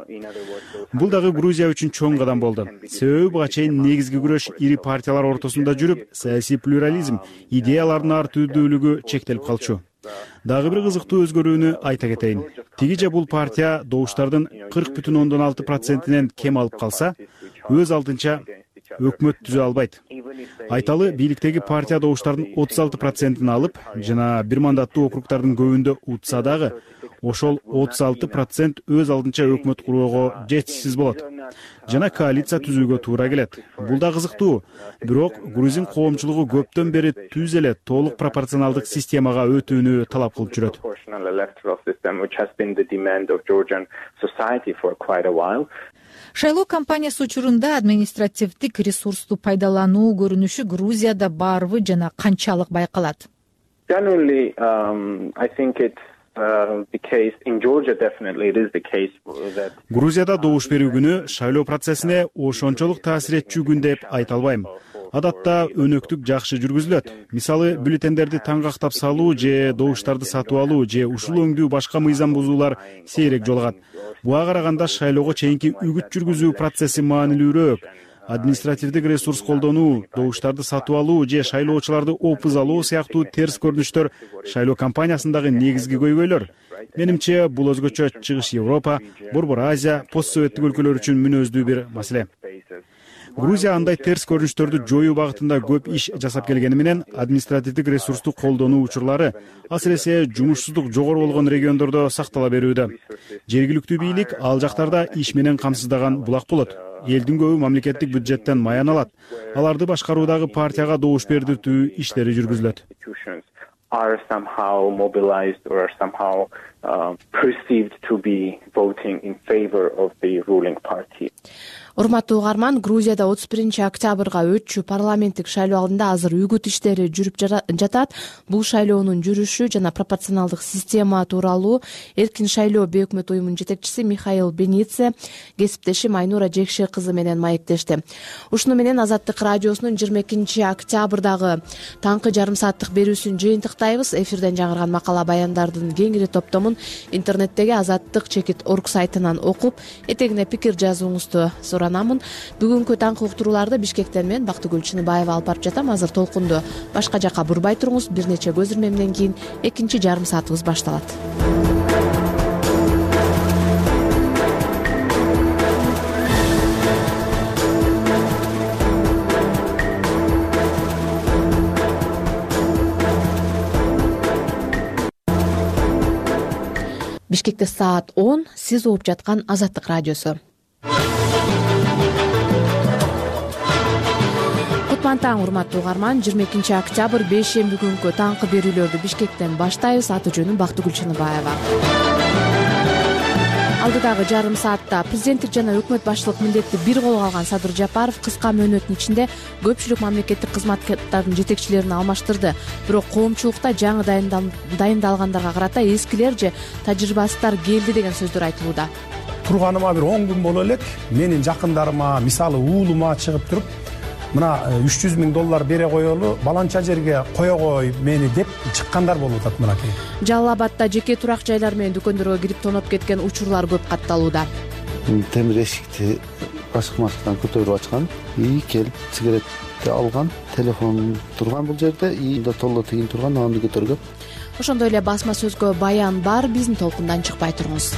Бул дагы Грузия үчүн чоң кадам болду. Себеби буга чейин негизги күрөш ири партиялар ортосунда жүрүп, саясий плюрализм, идеялардын ар түрдүүлүгү чектелип калчу. Дагы бир кызыктуу өзгөрүүнү айта кетейин. Тигиже бул партия добуштардын кырк бүтүн ондон алты процентинен кем алып калса, өз алдынча өкмөт түзө албайт. Айталы, бийликтеги партия добуштардын отуз алты процентин алып, жана бир мандаттуу округтардын көбүндө утса дагы, ошол отуз алты процент өз алдынча өкмөт куруого жетишсиз болот. Жана коалиция түзүүгө туура келет. Бул да кызыктуу. Бирок грузин коомчулугу көптөн бери түз эле толук пропорционалдык системага өтүүнү талап кылып жүрөт. Шайлоо кампаниясы учурунда административдик ресурсту пайдалануу көрүнүшү Грузияда барбы жана канчалык байкалат? Generally, um, I think it's uh, the case in Georgia. Definitely, it is the case that. Грузияда добуш берүү күнү шайлоо процессине ошончолук таасир этчү күн деп айта албайм. Адатта өнөктүк жакшы жүргүзүлөт. Мисалы, бюллетендерди таңгактап салуу же добуштарды сатып алуу же ушул өңдүү башка мыйзам бузуулар сейрек жолугат. Буга караганда шайлоого чейинки үгүт жүргүзүү процесси маанилүүрөөк. Административдик ресурс колдонуу, добуштарды сатып алуу же шайлоочуларды опуз алуу сыяктуу терс көрүнүштөр шайлоо кампаниясындагы негизги көйгөйлөр. Менимче, бул өзгөчө Чыгыш Европа, Борбор Азия, постсоветтик өлкөлөр үчүн мүнөздүү бир маселе. Грузия андай терс көрүнүштөрдү жоюу багытында көп иш жасап келгени менен административдик ресурсту колдонуу учурлары, асыресе жумушсуздук жогору болгон региондордо сактала берүүдө. Жергиликтүү бийлик ал жактарда иш менен камсыздаган булак болот. Элдин көбү мамлекеттик бюджеттен маян алат. Аларды башкаруудагы партияга добуш бердиртүү иштери жүргүзүлөт. Are somehow mobilized or are somehow uh, perceived to be voting in favor of the ruling party. Урматтуу угарман, Грузияда отуз биринчи октябрга өтчү парламенттик шайлоо алдында азыр үгүт иштери жүрүп жатат. Бул шайлоонун жүрүшү жана пропорционалдык система тууралуу Эркин шайлоо бейөкмөт уюмунун жетекчиси Михаил Бенице кесиптешим Айнура Жекше кызы менен маектешти. Ушуну менен Азаттык радиосунун жыйырма экинчи октябрдагы таңкы жарым сааттык берүүсүн жыйынтыктайбыз. Эфирден жаңырган макала баяндардын кеңири топтомун интернеттеги азаттык чекит орг сайтынан окуп, этегине пикир жазууңузду суранамын. Бүгүнкү таңкы уктурууларды Бишкектен мен Бактыгүл Чыныбаева алып барып жатам. Азыр толкунду башка жакка бурбай туруңуз. Бир нече көз ирмемден кийин экинчи жарым саатыбыз башталат. Бишкекте саат он, сиз угуп жаткан Азаттык радиосу. Кутман таң, урматтуу угарман. жыйырма экинчи октябрь бейшемби күнкү таңкы берүүлөрдү Бишкектен баштайбыз. Аты жөнүм Бактыгүл Чыныбаева. Алдыдагы жарым саатта президенттик жана өкмөт башчылык милдетти бир колго алган Садыр Жапаров кыска мөөнөттүн ичинде көпчүлүк мамлекеттик кызматкерлердин жетекчилерин алмаштырды. Бирок коомчулукта жаңы дайындалгандарга карата эскилер же тажрыйбасыздар келди деген сөздөр айтылууда. Турганыма бир он күн боло элек менин жакындарыма, мисалы уулума чыгып туруп, мына үч жүз миң доллар бере коелу, баланча жерге кое кой мени деп чыккандар болуп атат мынакей. Жалал Абадда жеке турак жайлар менен дүкөндөргө кирип тоноп кеткен учурлар көп катталууда. Темир эшикти ашык-машыктан көтөрүп ачкан, и келип сигаретти алган, телефон турган бул жерде, и да толло тигин турган, аны көтөргөн. Ошондой эле басма сөзгө баян бар, биздин толкундан чыкпай туруңуз.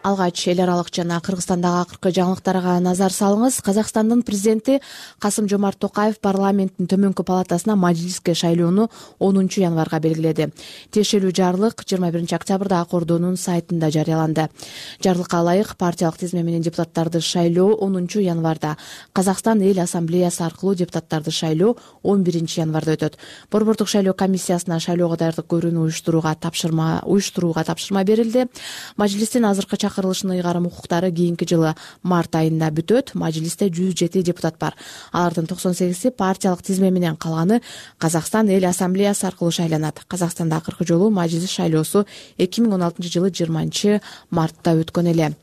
Алгач эл аралык жана Кыргызстандагы акыркы жаңылыктарга назар салыңыз. Казакстандын президенти Касым Жомарт Токаев парламенттин төмөнкү палатасына мажилиске шайлоону онунчу январга белгиледи. Тиешелүү жарлык жыйырма биринчи октябрда Ак Ордонун сайтында жарыяланды. Жарлыкка ылайык партиялык тизме менен депутаттарды шайлоо онунчу январда, Казакстан эл ассамблеясы аркылуу депутаттарды шайлоо он биринчи январда өтөт. Борбордук шайлоо комиссиясына шайлоого даярдык көрүүнү уюштурууга тапшырма уюштурууга тапшырма берилди. Мажилистин азыркы чакырылышынын ыйгарым укуктары кийинки жылы март айында бүтөт. Мажилисте жүз жети депутат бар. Алардын токсон сегизи партиялык тизме менен, калганы Казакстан эл ассамблеясы аркылуу шайланат. Казакстанда акыркы жолу мажилис шайлоосу эки миң он алтынчы жылы жыйырманчы мартта өткөн эле.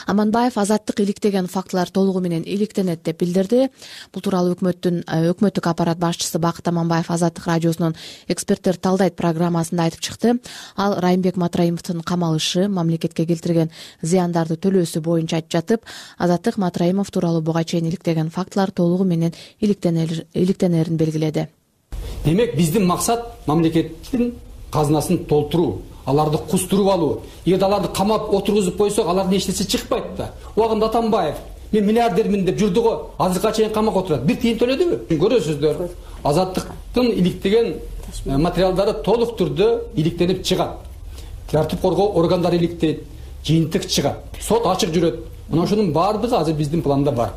Аманбаев азаттык иликтеген фактылар толугу менен иликтенет деп билдирди. Бул тууралуу өкмөттүн өкмөттүк аппарат башчысы Бакыт Аманбаев Азаттык радиосунун эксперттер талдайт программасында айтып чыкты. Ал Райымбек Матраимовдун камалышы, мамлекетке келтирген зыяндарды төлөөсү боюнча айтып жатып, Азаттык Матраимов тууралуу буга чейин иликтеген фактылар толугу менен иликтенерин белгиледи. Демек, биздин максат мамлекеттин казынасын толтуруу, аларды кустуруп алуу. Эгер аларды камап отургузуп койсок, алардын эчтеси чыкпайт да. Убагында Атамбаев мен миллиардермин деп жүрдү го, азыркыга чейин камакка отурат. Бир тыйын төлөдүбү? Көрөсүздөр, Азаттыктын иликтеген материалдары толук түрдө иликтенип чыгат. Тартип коргоо органдары иликтейт, жыйынтык чыгат, сот ачык жүрөт. Мына ошонун баардыгы азыр биздин планда бар.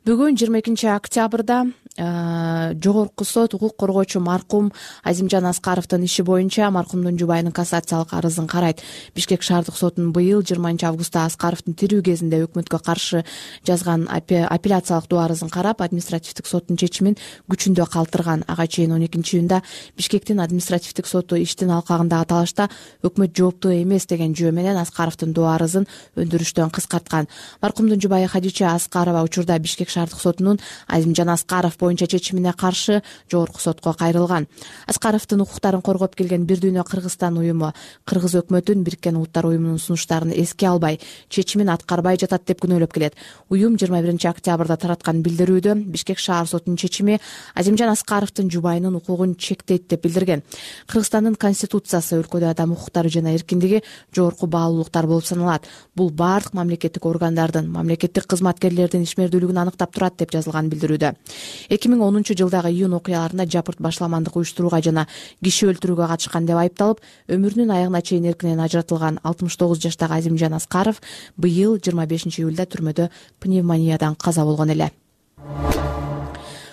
Бүгүн жыйырма экинчи октябрда жогорку сот укук коргоочу маркум Азимжан Аскаровдун иши боюнча маркумдун жубайынын кассациялык арызын карайт. Бишкек шаардык сотунун быйыл жыйырманчы августта Аскаровдун тирүү кезинде өкмөткө каршы жазган апелляциялык доо арызын карап, административдик соттун чечимин күчүндө калтырган. Ага чейин он экинчи июнда Бишкектин административдик соту иштин алкагындагы талашта өкмөт жооптуу эмес деген жөө менен Аскаровдун доо арызын өндүрүштөн кыскарткан. Маркумдун жубайы Хадича Аскарова учурда Бишкек шаардык сотунун Азимжан Аскаров боюнча чечимине каршы жогорку сотко кайрылган. Аскаровдун укуктарын коргоп келген Бир Дүйнө Кыргызстан уюму Кыргыз өкмөтүн Бириккен Улуттар уюмунун сунуштарын эске албай, чечимин аткарбай жатат деп күнөөлөп келет. Уюм жыйырма биринчи октябрда тараткан билдирүүдө Бишкек шаар сотунун чечими Азимжан Аскаровдун жубайынын укугун чектейт деп билдирген. Кыргызстандын конституциясы өлкөдө адам укуктары жана эркиндиги жогорку баалуулуктар болуп саналат. Бул бардык мамлекеттик органдардын, мамлекеттик кызматкерлердин ишмердүүлүгүн аныктап турат деп жазылган билдирүүдө. эки миң онунчу жылдагы июнь окуяларында жапырт башламандык уюштурууга жана киши өлтүрүүгө катышкан деп айыпталып, өмүрүнүн аягына чейин эркинен ажыратылган алтымыш тогуз жаштагы Азимжан Аскаров быйыл жыйырма бешинчи июлда түрмөдө пневмониядан каза болгон эле.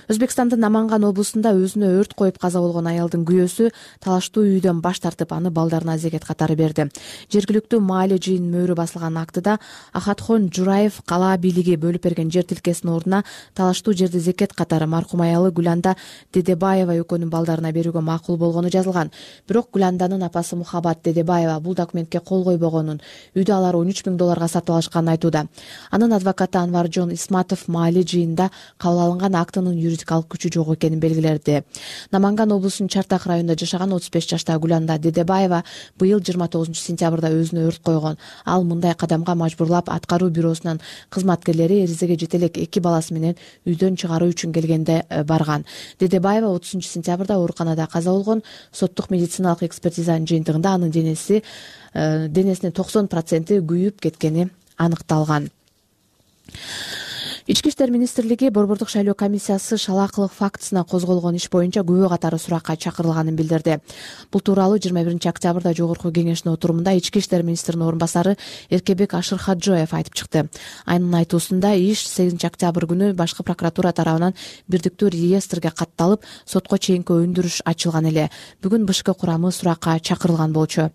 Өзбекстандын Наманган облусунда өзүнө өрт коюп каза болгон аялдын күйөөсү талаштуу үйдөн баш тартып, аны балдарына зекет катары берди. Жергиликтүү маале жыйын мөөрү басылган актыда Ахатхон Жураев калаа бийлиги бөлүп берген жер тилкесинин ордуна талаштуу жерди зекет катары маркум аялы Гүланда Дедебаева экөөнүн балдарына берүүгө макул болгону жазылган. Бирок Гүланданын апасы Мухабат Дедебаева бул документке кол койбогонун, үйдү алар он үч миң долларга сатып алышканын айтууда. Анын адвокаты Анваржон Исматов маале жыйында кабыл алынган актынын юридикалык күчү жок экенин белгиледи. Наманган облусунун Чартак районунда жашаган отуз беш жаштагы Гүланда Дедебаева быйыл жыйырма тогузунчу сентябрда өзүнө өрт койгон. Ал мындай кадамга мажбурлап аткаруу бюросунун кызматкерлери эризеге жете элек эки баласы менен үйдөн чыгаруу үчүн келгенде барган. Дедебаева отузунчу сентябрда ооруканада каза болгон. Соттук медициналык экспертизанын жыйынтыгында анын денеси денесинин токсон проценти күйүп кеткени аныкталган. Ички иштер министрлиги Борбордук шайлоо комиссиясы шалаакылык фактысына козголгон иш боюнча күбө катары суракка чакырылганын билдирди. Бул тууралуу жыйырма биринчи октябрда жогорку кеңештин отурумунда ички иштер министринин орун басары Эркебек Ашырхаджоев айтып чыкты. Анын айтуусунда иш сегизинчи октябрь күнү башкы прокуратура тарабынан бирдиктүү реестрге катталып, сотко чейинки өндүрүш ачылган эле. Бүгүн БШК курамы суракка чакырылган болчу.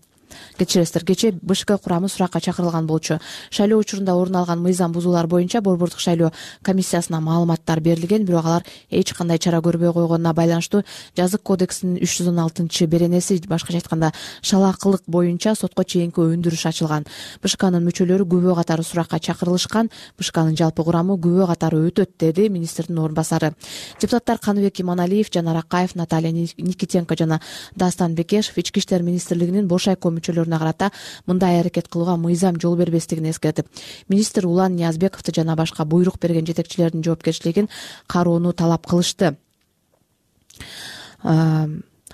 Кечиресиздер, кече БШК курамы суракка чакырылган болчу. Шайлоо учурунда орун алган мыйзам бузуулар боюнча Борбордук шайлоо комиссиясына маалыматтар берилген, бирок алар эч кандай чара көрбөй койгонуна байланыштуу жазык кодексинин үч жүз он алтынчы беренеси, башкача айтканда шалаакылык боюнча сотко чейинки өндүрүш ачылган. БШКнын мүчөлөрү күбө катары суракка чакырылышкан. БШКнын жалпы курамы күбө катары өтөт, деди министрдин орун басары. Депутаттар Каныбек Иманалиев, Жанар Акаев, Наталья Никитенко жана Дастан Бекешев ички иштер министрлигинин бош айком мүчөлөрүнө карата мындай аракет кылууга мыйзам жол бербестигин эскертип, министр Улан Ниязбековду жана башка буйрук берген жетекчилердин жоопкерчилигин кароону талап кылышты.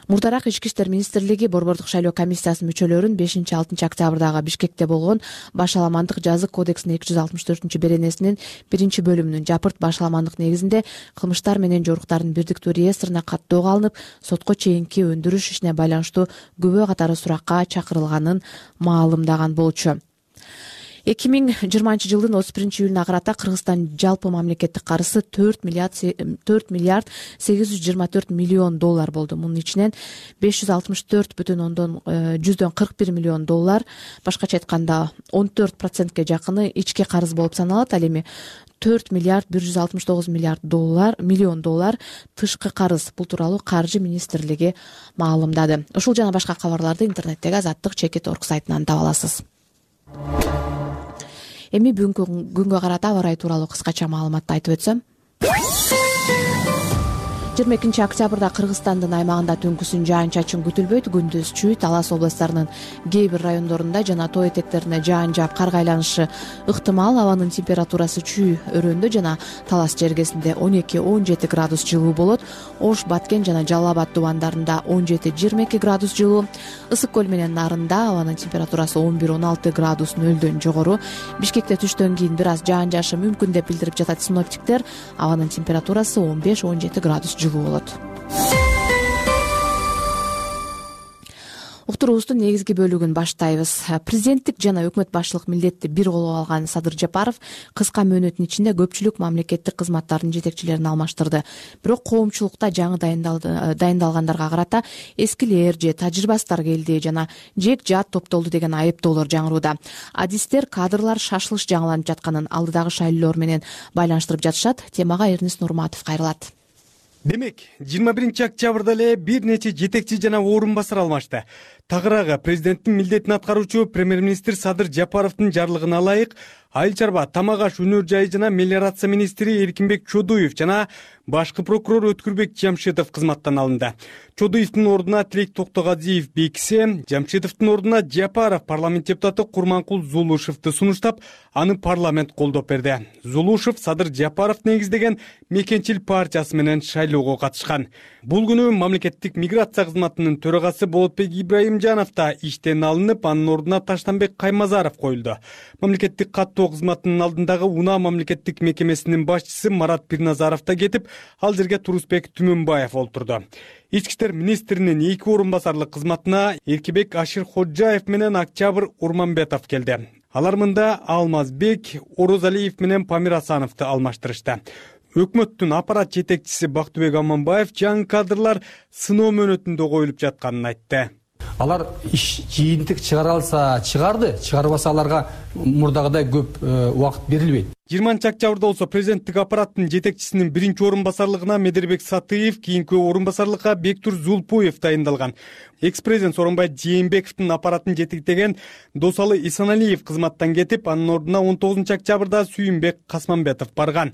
Мурдараак ички иштер министрлиги Борбордук шайлоо комиссиясынын мүчөлөрүн бешинчи алтынчы октябрдагы Бишкекте болгон башаламандык жазык кодексинин эки жүз алтымыш төртүнчү беренесинин биринчи бөлүмүнүн жапырт башаламандык негизинде кылмыштар менен жоруктардын бирдиктүү реестрине каттоого алынып, сотко чейинки өндүрүш ишине байланыштуу күбө катары суракка чакырылганын маалымдаган болчу. эки миң жыйырманчы жылдын отуз биринчи июлуна карата Кыргызстан жалпы мамлекеттик карызы төрт миллиард сегиз жүз жыйырма төрт миллион доллар болду. Мунун ичинен беш жүз алтымыш төрт бүтүн ондон жүздөн кырк бир миллион доллар, башкача айтканда он төрт процентке жакыны ички карыз болуп саналат. Ал эми төрт миллиард бир жүз алтымыш тогуз миллиард доллар миллион доллар тышкы карыз. Бул тууралуу Каржы министрлиги маалымдады. Ушул жана башка кабарларды интернеттеги азаттык чекит точка орг сайтынан таба аласыз. Эми бүгүнкү күнгө карата аба ырайы тууралуу кыскача маалыматты айтып өтсөм. жыйырма экинчи октябрда Кыргызстандын аймагында түнкүсүн жаан-чачын күтүлбөйт. Күндүз чүй, Талас областарынын кээ бир райондорунда жана тоо этектерине жаан жаап кар айланышы ыктымал. Абанын температурасы чүй өрөөндө жана Талас жергесинде он эки он жети градус жылуу болот. Ош, Баткен жана Жалал Абад дубандарында он жети жыйырма эки градус жылуу. Ысык көл менен Нарында абанын температурасы он бир он алты градус нөлдөн жогору. Бишкекте түштөн кийин бир аз жаан жаашы мүмкүн деп билдирип жатат синоптиктер. Абанын температурасы он беш он жети градус жылуу болот. Уктуруубуздун негизги бөлүгүн баштайбыз. Президенттик жана өкмөт башчылык милдетти бир колго алган Садыр Жапаров кыска мөөнөттүн ичинде көпчүлүк мамлекеттик кызматтардын жетекчилерин алмаштырды. Бирок коомчулукта жаңы дайындалгандарга карата эскилер же тажрыйбасыздар келди жана жек жаат топтолду деген айыптоолор жаңырууда. Адистер кадрлар шашылыш жаңыланып жатканын алдыдагы шайлоолор менен байланыштырып жатышат. Темага Эрнис Нурматов кайрылат. Демек, жыйырма биринчи октябрда эле бир нече жетекчи жана орун басар алмашты. Тагыраагы президенттин милдетин аткаруучу премьер-министр Садыр Жапаровдун жарлыгына ылайык Айыл чарба, Тамак аш өнөр жайы жана мелиорация министри Эркинбек Чодуев жана башкы прокурор Өткүрбек Жамшитов кызматтан алынды. Чодуевдин ордуна Тилек Токтогазиев бекисе, Жамшитовдун ордуна Жапаров парламент депутаты Курманкул Зулушевду сунуштап, аны парламент колдоп берди. Зулушев Садыр Жапаров негиздеген Мекенчил партиясы менен шайлоого катышкан. Бул күнү мамлекеттик миграция кызматынын төрагасы Болотбек Ибраимжанов да иштен алынып, анын ордуна Таштанбек Каймазаров коюлду. Мамлекеттик каттоо кызматынын алдындагы Унаа мамлекеттик мекемесинин башчысы Марат Пирназаров да кетип, ал жерге Турусбек Түмөнбаев олтурду. Ички иштер министринин эки орун басарлык кызматына Эркебек Ашырходжаев менен Октябрь Урманбетов келди. Алар мында Алмазбек Орозалиев менен Памир Асановду алмаштырышты. Өкмөттүн аппарат жетекчиси Бактыбек Аманбаев жаңы кадрлар сыноо мөөнөтүндө коюлуп жатканын айтты. Алар иш жыйынтык чыгара алса чыгарды, чыгарбаса аларга мурдагыдай көп убакыт берилбейт. жыйырманчы октябрда болсо президенттик аппараттын жетекчисинин биринчи орун басарлыгына Медербек Сатыев, кийинки орун басарлыкка Бектур Зулпуев дайындалган. Экс-президент Сооронбай Жээнбековдун аппаратын жетектеген Досалы Исаналиев кызматтан кетип, анын ордуна он тогузунчу октябрда Сүйүнбек Касманбетов барган.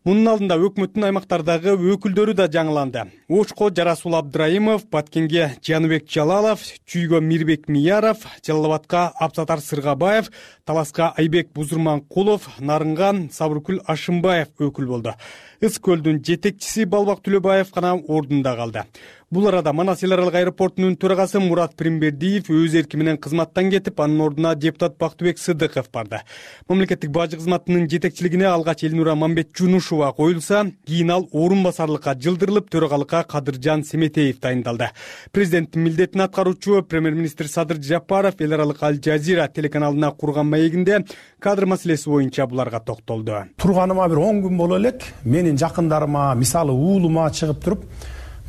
Мунун алдында өкмөттүн аймактардагы өкүлдөрү да жаңыланды. Ошко Жарасул Абдраимов, Баткенге Жаныбек Жалалов, Чүйгө Мирбек Мияров, Жалал Абадка Абсатар Сыргабаев, Таласка Айбек Бузурманкулов, Нарынган Сабыркүл Ашымбаев өкүл болду. Ыс көлдүн жетекчиси Балбак Түлөбаев гана ордунда калды. Бул арада Манас эл аралык аэропортунун төрагасы Мурат Примбердиев өз эрки менен кызматтан кетип, анын ордуна депутат Бактыбек Сыдыков барды. Мамлекеттик бажы кызматынын жетекчилигине алгач Элнура Мамбетжунушева коюлса, кийин ал орун басарлыкка жылдырылып, төрагалыкка Кадыржан Семетеев дайындалды. Президенттин милдетин аткаруучу премьер-министр Садыр Жапаров эл аралык Аль Жазира телеканалына курган маегинде кадр маселеси боюнча буларга токтолду. Турганыма бир он күн боло элек менин жакындарыма, мисалы уулума чыгып туруп,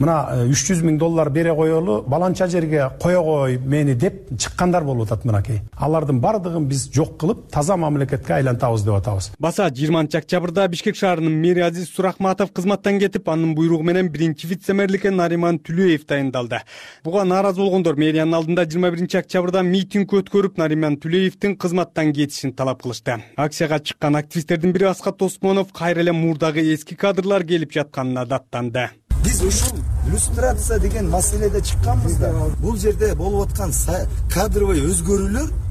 мына үч жүз миң доллар бере коелу, баланча жерге кое кой мени деп чыккандар болуп атат мынакей. Алардын бардыгын биз жок кылып, таза мамлекетке айлантабыз деп атабыз. Баса жыйырманчы октябрда Бишкек шаарынын мэри Азиз Сурахматов кызматтан кетип, анын буйругу менен биринчи вице-мэрликке Нариман Түлөев дайындалды. Буга нааразы болгондор мэриянын алдында жыйырма биринчи октябрда митинг өткөрүп, Нариман Түлөевдин кызматтан кетишин талап кылышты. Акцияга чыккан активисттердин бири Аскат Осмонов кайра эле мурдагы эски кадрлар келип жатканына даттанды. Биз ушул иллюстрация деген маселеде чыкканбыз да. Бул жерде болуп аткан кадровый өзгөрүүлөр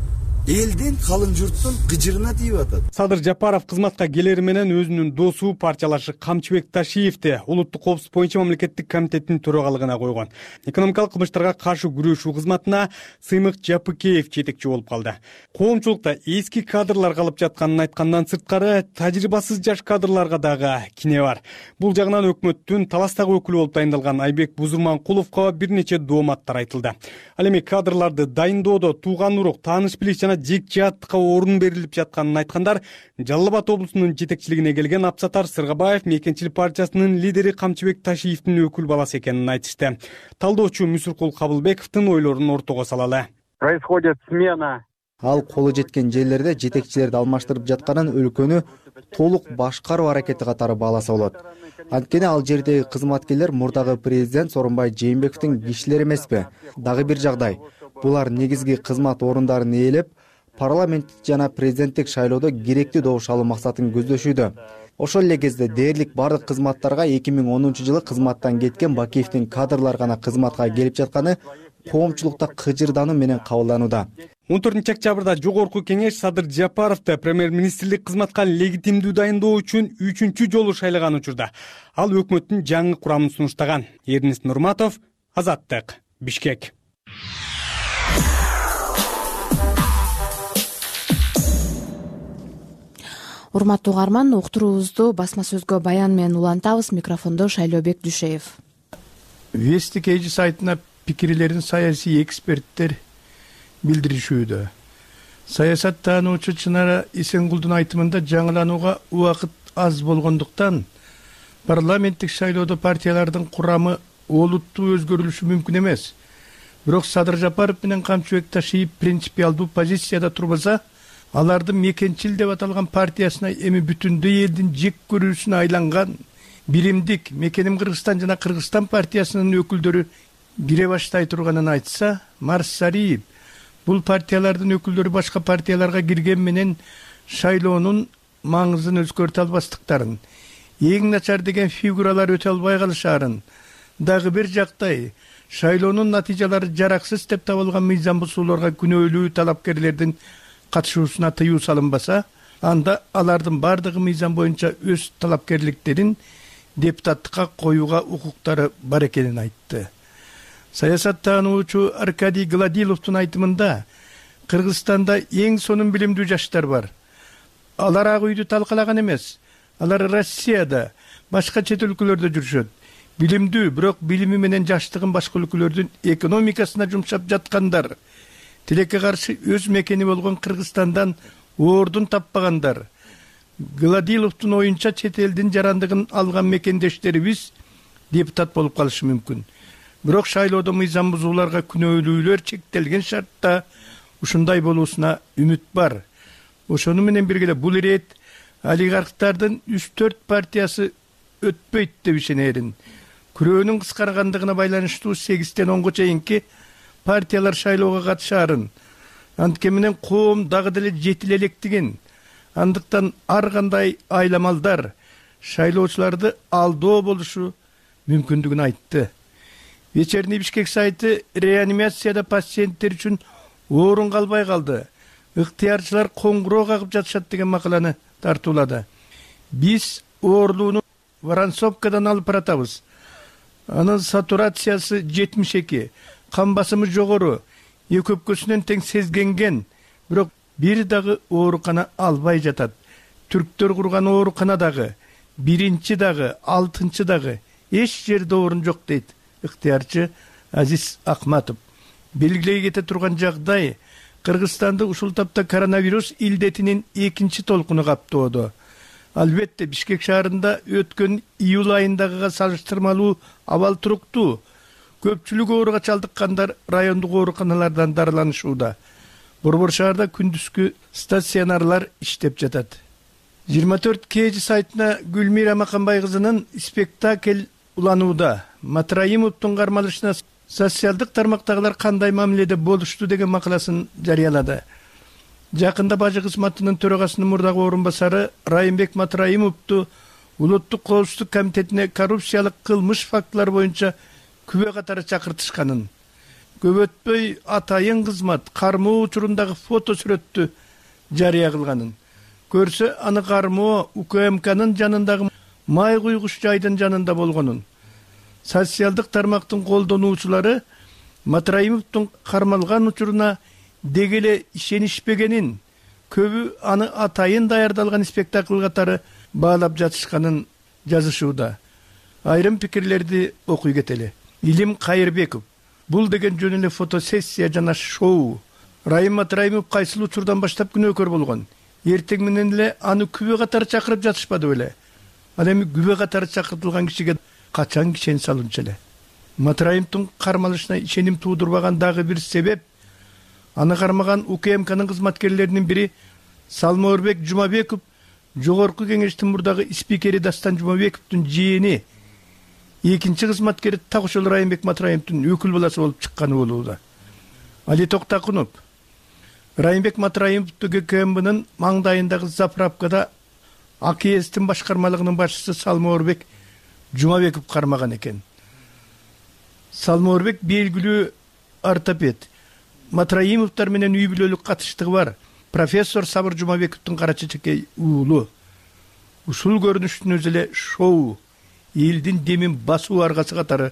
элдин, калың журттун кыжырына тийип атат. Садыр Жапаров кызматка келери менен өзүнүн досу партиялашы Камчыбек Ташиевди улуттук коопсуздук боюнча мамлекеттик комитеттин төрагалыгына койгон. Экономикалык кылмыштарга каршы күрөшүү кызматына Сыймык Жапыкеев жетекчи болуп калды. Коомчулукта эски кадрлар калып жатканын айткандан сырткары, тажрыйбасыз жаш кадрларга дагы кине бар. Бул жагынан өкмөттүн таластагы өкүлү болуп дайындалган Айбек Бузурманкуловго бир нече дооматтар айтылды. Ал эми кадрларды дайындоодо тууган урук, тааныш билиш жана жек жааттыкка орун берилип жатканын айткандар Жалал Абад облусунун жетекчилигине келген Абсатар Сыргабаев Мекенчилик партиясынын лидери Камчыбек Ташиевдин өкүл баласы экенин айтышты. Талдоочу Мүсүркул Кабылбековдун ойлорун ортого салалы. Происходит смена. Ал колу жеткен жерлерде жетекчилерди алмаштырып жатканын өлкөнү толук башкаруу аракети катары бааласа болот. Анткени ал жердеги кызматкерлер мурдагы президент Сооронбай Жээнбековдин кишилери эмеспи? Дагы бир жагдай. Булар негизги кызмат орундарын ээлеп, парламент жана президенттик шайлоодо керектүү добуш алуу максатын көздөшүүдө. Ошол эле кезде дээрлик бардык кызматтарга эки миң онунчу жылы кызматтан кеткен Бакиевдин кадрлар гана кызматка келип жатканы коомчулукта кыжырдануу менен кабылданууда. он төртүнчү октябрда жогорку кеңеш Садыр Жапаровду премьер-министрлик кызматка легитимдүү дайындоо үчүн үчүнчү жолу шайлаган учурда ал өкмөттүн жаңы курамын сунуштаган. Эрнис Нурматов, Азаттык, Бишкек. Урматтуу угарман, уктуруубузду басма сөзгө баян менен улантабыз. Микрофондо Шайлообек Дүшеев. Вести Кейжи сайтына пикирлерин саясий эксперттер билдиришүүдө. Саясат таануучу Чынара Исенгулдун айтымында жаңыланууга убакыт аз болгондуктан парламенттик шайлоодо партиялардын курамы олуттуу өзгөрүлүшү мүмкүн эмес. Бирок Садыр Жапаров менен Камчыбек Ташиев принципиалдуу позицияда турбаса, алардын Мекенчил деп аталган партиясына эми бүтүндөй элдин жек көрүүсүнө айланган биримдик Мекеним Кыргызстан жана Кыргызстан партиясынын өкүлдөрү кире баштай турганын айтса, Марсариев бул партиялардын өкүлдөрү башка партияларга кирген менен шайлоонун маңызын өзгөртө албастыктарын, эң начар деген фигуралар өтө албай калышаарын, дагы бир жактай шайлоонун натыйжалары жараксыз деп табылган мыйзам бузууларга күнөөлүү талапкерлердин катышуусуна тыюу салынбаса, анда алардын бардыгы мыйзам боюнча өз талапкерликтерин депутаттыкка коюуга укуктары бар экенин айтты. Саясат таануучу Аркадий Гладиловдун айтымында Кыргызстанда эң сонун билимдүү жаштар бар. Алар ак үйдү талкалаган эмес. Алар Россияда, башка чет өлкөлөрдө жүрүшөт. Билимдүү, бирок билими менен жаштыгын башка өлкөлөрдүн экономикасына жумшап жаткандар. Тилекке каршы өз мекени болгон Кыргызстандан ордун таппагандар. Гладиловдун оюнча чет элдин жарандыгын алган мекендештерибиз депутат болуп калышы мүмкүн. Бирок шайлоодо мыйзам бузууларга күнөөлүүлөр чектелген шартта ушундай болуусуна үмүт бар. Ошону менен бирге бул ирет олигархтардын үч төрт партиясы өтпөйт деп ишенерин. Күрөөнүн кыскаргандыгына байланыштуу сегизден онго чейинки партиялар шайлоого катышаарын, антке менен коом дагы деле жетил электигин, андыктан ар кандай айламалдар шайлоочуларды алдоо болушу мүмкүндүгүн айтты. Вечерний Бишкек сайты реанимацияда пациенттер үчүн орун калбай калды. Ыктыярчылар коңгуроо кагып жатышат деген макаланы тартуулады. Биз оорулууну Воронцовкадан алып баратабыз. анын сатурациясы жетимиш эки, кан басымы жогору, эки өпкөсүнөн тең сезгенген, бирок бир дагы оорукана албай жатат. Түрктөр курган оорукана дагы, биринчи дагы, алтынчы дагы эч жерде орун жок дейт ыктыярчы Азиз Акматов. Белгилей кете турган жагдай Кыргызстанды ушул тапта коронавирус илдетинин экинчи толкуну каптоодо. Албетте Бишкек шаарында өткөн июль айындагыга салыштырмалуу абал туруктуу. Көпчүлүк ооруга чалдыккандар райондук ооруканалардан дарыланышууда. Борбор шаарда күндүзгү стационарлар иштеп жатат. жыйырма төрт кей жи сайтына Гүлмира Маканбай кызынын спектакль уланууда. Матраимовдун кармалышына социалдык тармактагылар кандай мамиледе болушту деген макаласын жарыялады. Жакында бажы кызматынын төрагасынын мурдагы орун басары Райымбек Матраимовду Улуттук коопсуздук комитетине коррупциялык кылмыш фактылары боюнча күбө катары чакыртышканын. Көп өтпөй атайын кызмат кармоо учурундагы фото сүрөттү жарыя кылганын. Көрсө аны кармоо У К М К'нын жанындагы май куйгуч жайдын жанында болгонун. Социалдык тармактын колдонуучулары Матраимовдун кармалган учуруна дегеле ишенишпегенин, көбү аны атайын даярдалган спектакль катары баалап жатышканын жазышууда. Айрым пикирлерди окуй кетели. Илим Кайырбеков: бул деген жөн эле фотосессия жана шоу. Райым Матраимов кайсыл учурдан баштап күнөөкөр болгон? Эртең менен эле аны күбө катары чакырып жатышпады беле? Ал эми күбө катары чакыртылган кишиге качан кишен салынчу эле? Матраимовдун кармалышына ишеним туудурбаган дагы бир себеп аны кармаган У К М К'нын кызматкерлеринин бири Салмоорбек Жумабеков, жогорку кеңештин мурдагы спикери Дастан Жумабековдун жиени, экинчи кызматкери так ошол Райымбек Матраимовдун өкүл баласы болуп чыкканы болууда. Али Токтакунов: Райымбек Матраимовду Г К М Б'нын маңдайындагы заправкада А К S'тин башкармалыгынын башчысы Салмоорбек Жумабеков кармаган экен. Салмоорбек белгилүү ортопед. Матраимовдор менен үй бүлөлүк катыштыгы бар. Профессор Сабыр Жумабековдун кара чечекей уулу. Ушул көрүнүштүн өзү эле шоу, элдин демин басуу аргасы катары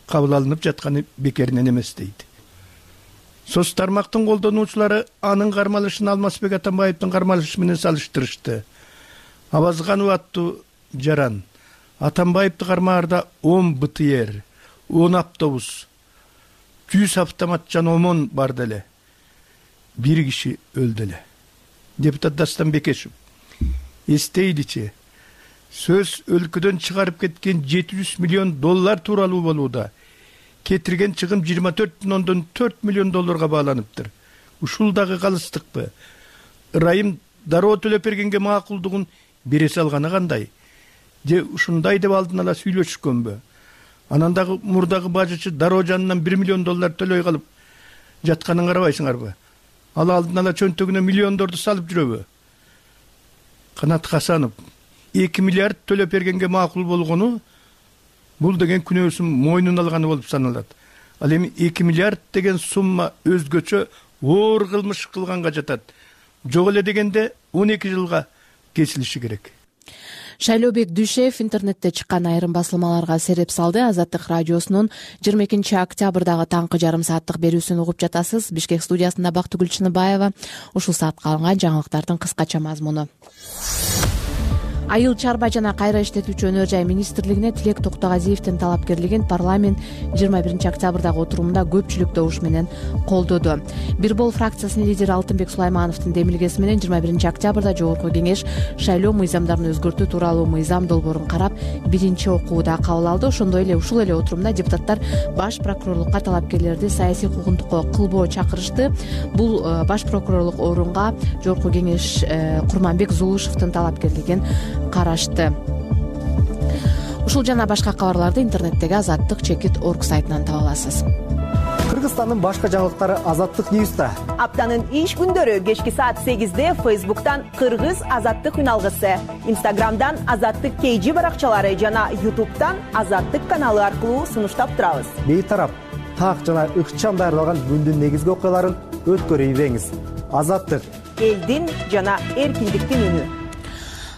кабыл алынып жатканы бекеринен эмес дейт. Соц тармактын колдонуучулары анын кармалышын Алмазбек Атамбаевдин кармалышы менен салыштырышты. Абазганов аттуу жаран Атамбаевди кармаарда он Б Т Р, он автобус, жүз автомат жана омон бар деле. Бир киши өлдү эле. Депутат Дастан Бекешев: эстейличи, сөз өлкөдөн чыгарып кеткен жети жүз миллион доллар тууралуу болууда. Кетирген чыгым жыйырма төрт бүтүн ондон төрт миллион долларга бааланыптыр. Ушул дагы калыстыкпы? Ырайым дароо төлөп бергенге макулдугун бере салганы кандай? Же ушундай деп алдын ала сүйлөшүшкөнбү? Анан дагы мурдагы бажычы дароо жанынан бир миллион доллар төлөй калып жатканын карабайсыңарбы? Ал алдын ала чөнтөгүнө миллиондорду салып жүрөбү? Канат Хасанов: эки миллиард төлөп бергенге макул болгону бул деген күнөөсүн мойнуна алганы болуп саналат. Ал эми эки миллиард деген сумма өзгөчө оор кылмыш кылганга жатат. Жок эле дегенде он эки жылга кесилиши керек. Шайлообек Дүйшев интернетте чыккан айрым басылмаларга сереп салды. Азаттык радиосунун жыйырма экинчи октябрдагы таңкы жарым сааттык берүүсүн угуп жатасыз. Бишкек студиясында Бактыгүл Чыныбаева. Ушул саатка алынган жаңылыктардын кыскача мазмуну. Айыл чарба жана кайра иштетүүчү өнөр жай министрлигине Тилек Токтогазиевдин талапкерлигин парламент жыйырма биринчи октябрдагы отурумунда көпчүлүк добуш менен колдоду. Бир бол фракциясынын лидери Алтынбек Сулаймановдун демилгеси менен жыйырма биринчи октябрда жогорку кеңеш шайлоо мыйзамдарын өзгөртүү тууралуу мыйзам долбоорун карап биринчи окууда кабыл алды. Ошондой эле ушул эле отурумда депутаттар баш прокурорлукка талапкерлерди саясий куугунтукка кылбоо чакырышты. Бул баш прокурорлук орунга жогорку кеңеш Курманбек Зулушевдин талапкерлигин карашты. Ушул жана башка кабарларды интернеттеги азаттык чекит орг сайтынан таба аласыз. Кыргызстандын башка жаңылыктары Азаттык Ньюста. Аптанын иш күндөрү кечки саат сегизде Фейсбуктан Кыргыз Азаттык үналгысы, Инстаграмдан Азаттык кей жи баракчалары жана Ютубтан Азаттык каналы аркылуу сунуштап турабыз. Бейтарап, так жана ыкчам даярдалган күндүн негизги окуяларын өткөрүп ийбеңиз. Азаттык — элдин жана эркиндиктин үнү.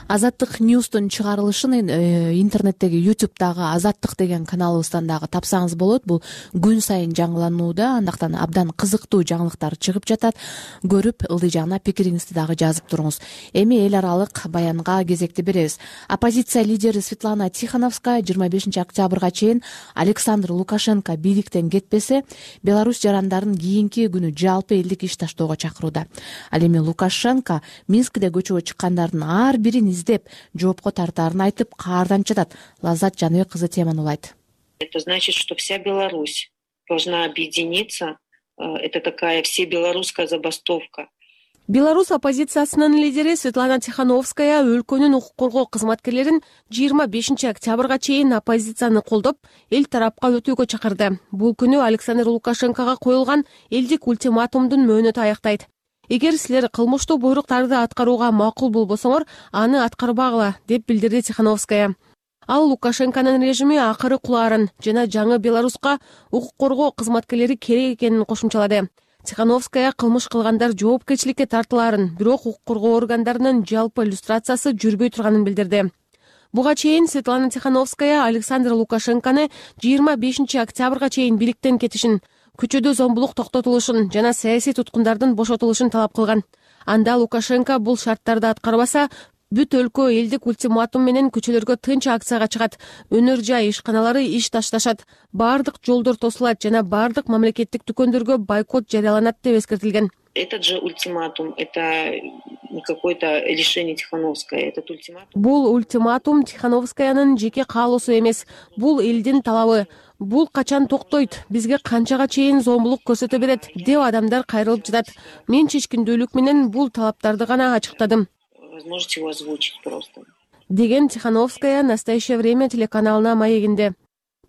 Азаттык Ньюстун чыгарылышын интернеттеги ютубтагы Азаттык деген каналыбыздан дагы тапсаңыз болот. Бул күн сайын жаңыланууда, андактан абдан кызыктуу жаңылыктар чыгып жатат. Көрүп, ылдый жагына пикириңизди дагы жазып туруңуз. Эми эл аралык баянга кезекти беребиз. Оппозиция лидери Светлана Тихановская жыйырма бешинчи октябрга чейин Александр Лукашенко бийликтен кетпесе, Беларусь жарандарын кийинки күнү жалпы элдик иш таштоого чакырууда. Ал эми Лукашенко Минскте көчөгө чыккандардын ар бирин издеп, жоопко тартаарын айтып, каардан жатат. Лаззат Жаныбек кызы теманы улайт. Это значит, что вся Беларусь должна объединиться. Это такая всебелорусская забастовка. Беларусь оппозициясынын лидери Светлана Тихановская өлкөнүн укук коргоо кызматкерлерин жыйырма бешинчи октябрга чейин оппозицияны колдоп, эл тарапка өтүүгө чакырды. Бул күнү Александр Лукашенкого коюлган элдик ультиматумдун мөөнөтү аяктайт. Эгер силер кылмыштуу буйруктарды аткарууга макул болбосоңор, аны аткарбагыла, деп билдирди Тихановская. Ал Лукашенконун режими акыры кулаарын жана жаңы Беларуска укук коргоо кызматкерлери керек экенин кошумчалады. Тихановская кылмыш кылгандар жоопкерчиликке тартылаарын, бирок укук коргоо органдарынын жалпы иллюстрациясы жүрбөй турганын билдирди. Буга чейин Светлана Тихановская Александр Лукашенкону жыйырма бешинчи октябрга чейин бийликтен кетишин, көчөдө зомбулук токтотулушун жана саясий туткундардын бошотулушун талап кылган. Анда Лукашенко бул шарттарды аткарбаса, бүт өлкө элдик ультиматум менен көчөлөргө тынч акцияга чыгат, өнөр жай ишканалары иш ташташат, баардык жолдор тосулат жана баардык мамлекеттик дүкөндөргө бойкот жарыяланат деп эскертилген. Этот же ультиматум, это не какое-то решение Тихановской, этот ультиматум. Бул ультиматум Тихановскаянын жеке каалоосу эмес, бул элдин талабы. Бул качан токтойт, бизге канчага чейин зомбулук көрсөтө берет, деп адамдар кайрылып жатат. Мен чечкиндүүлүк менен бул талаптарды гана ачыктадым. Возможности его озвучить просто. Деген Тихановская «Настоящее время» телеканалына маегинде.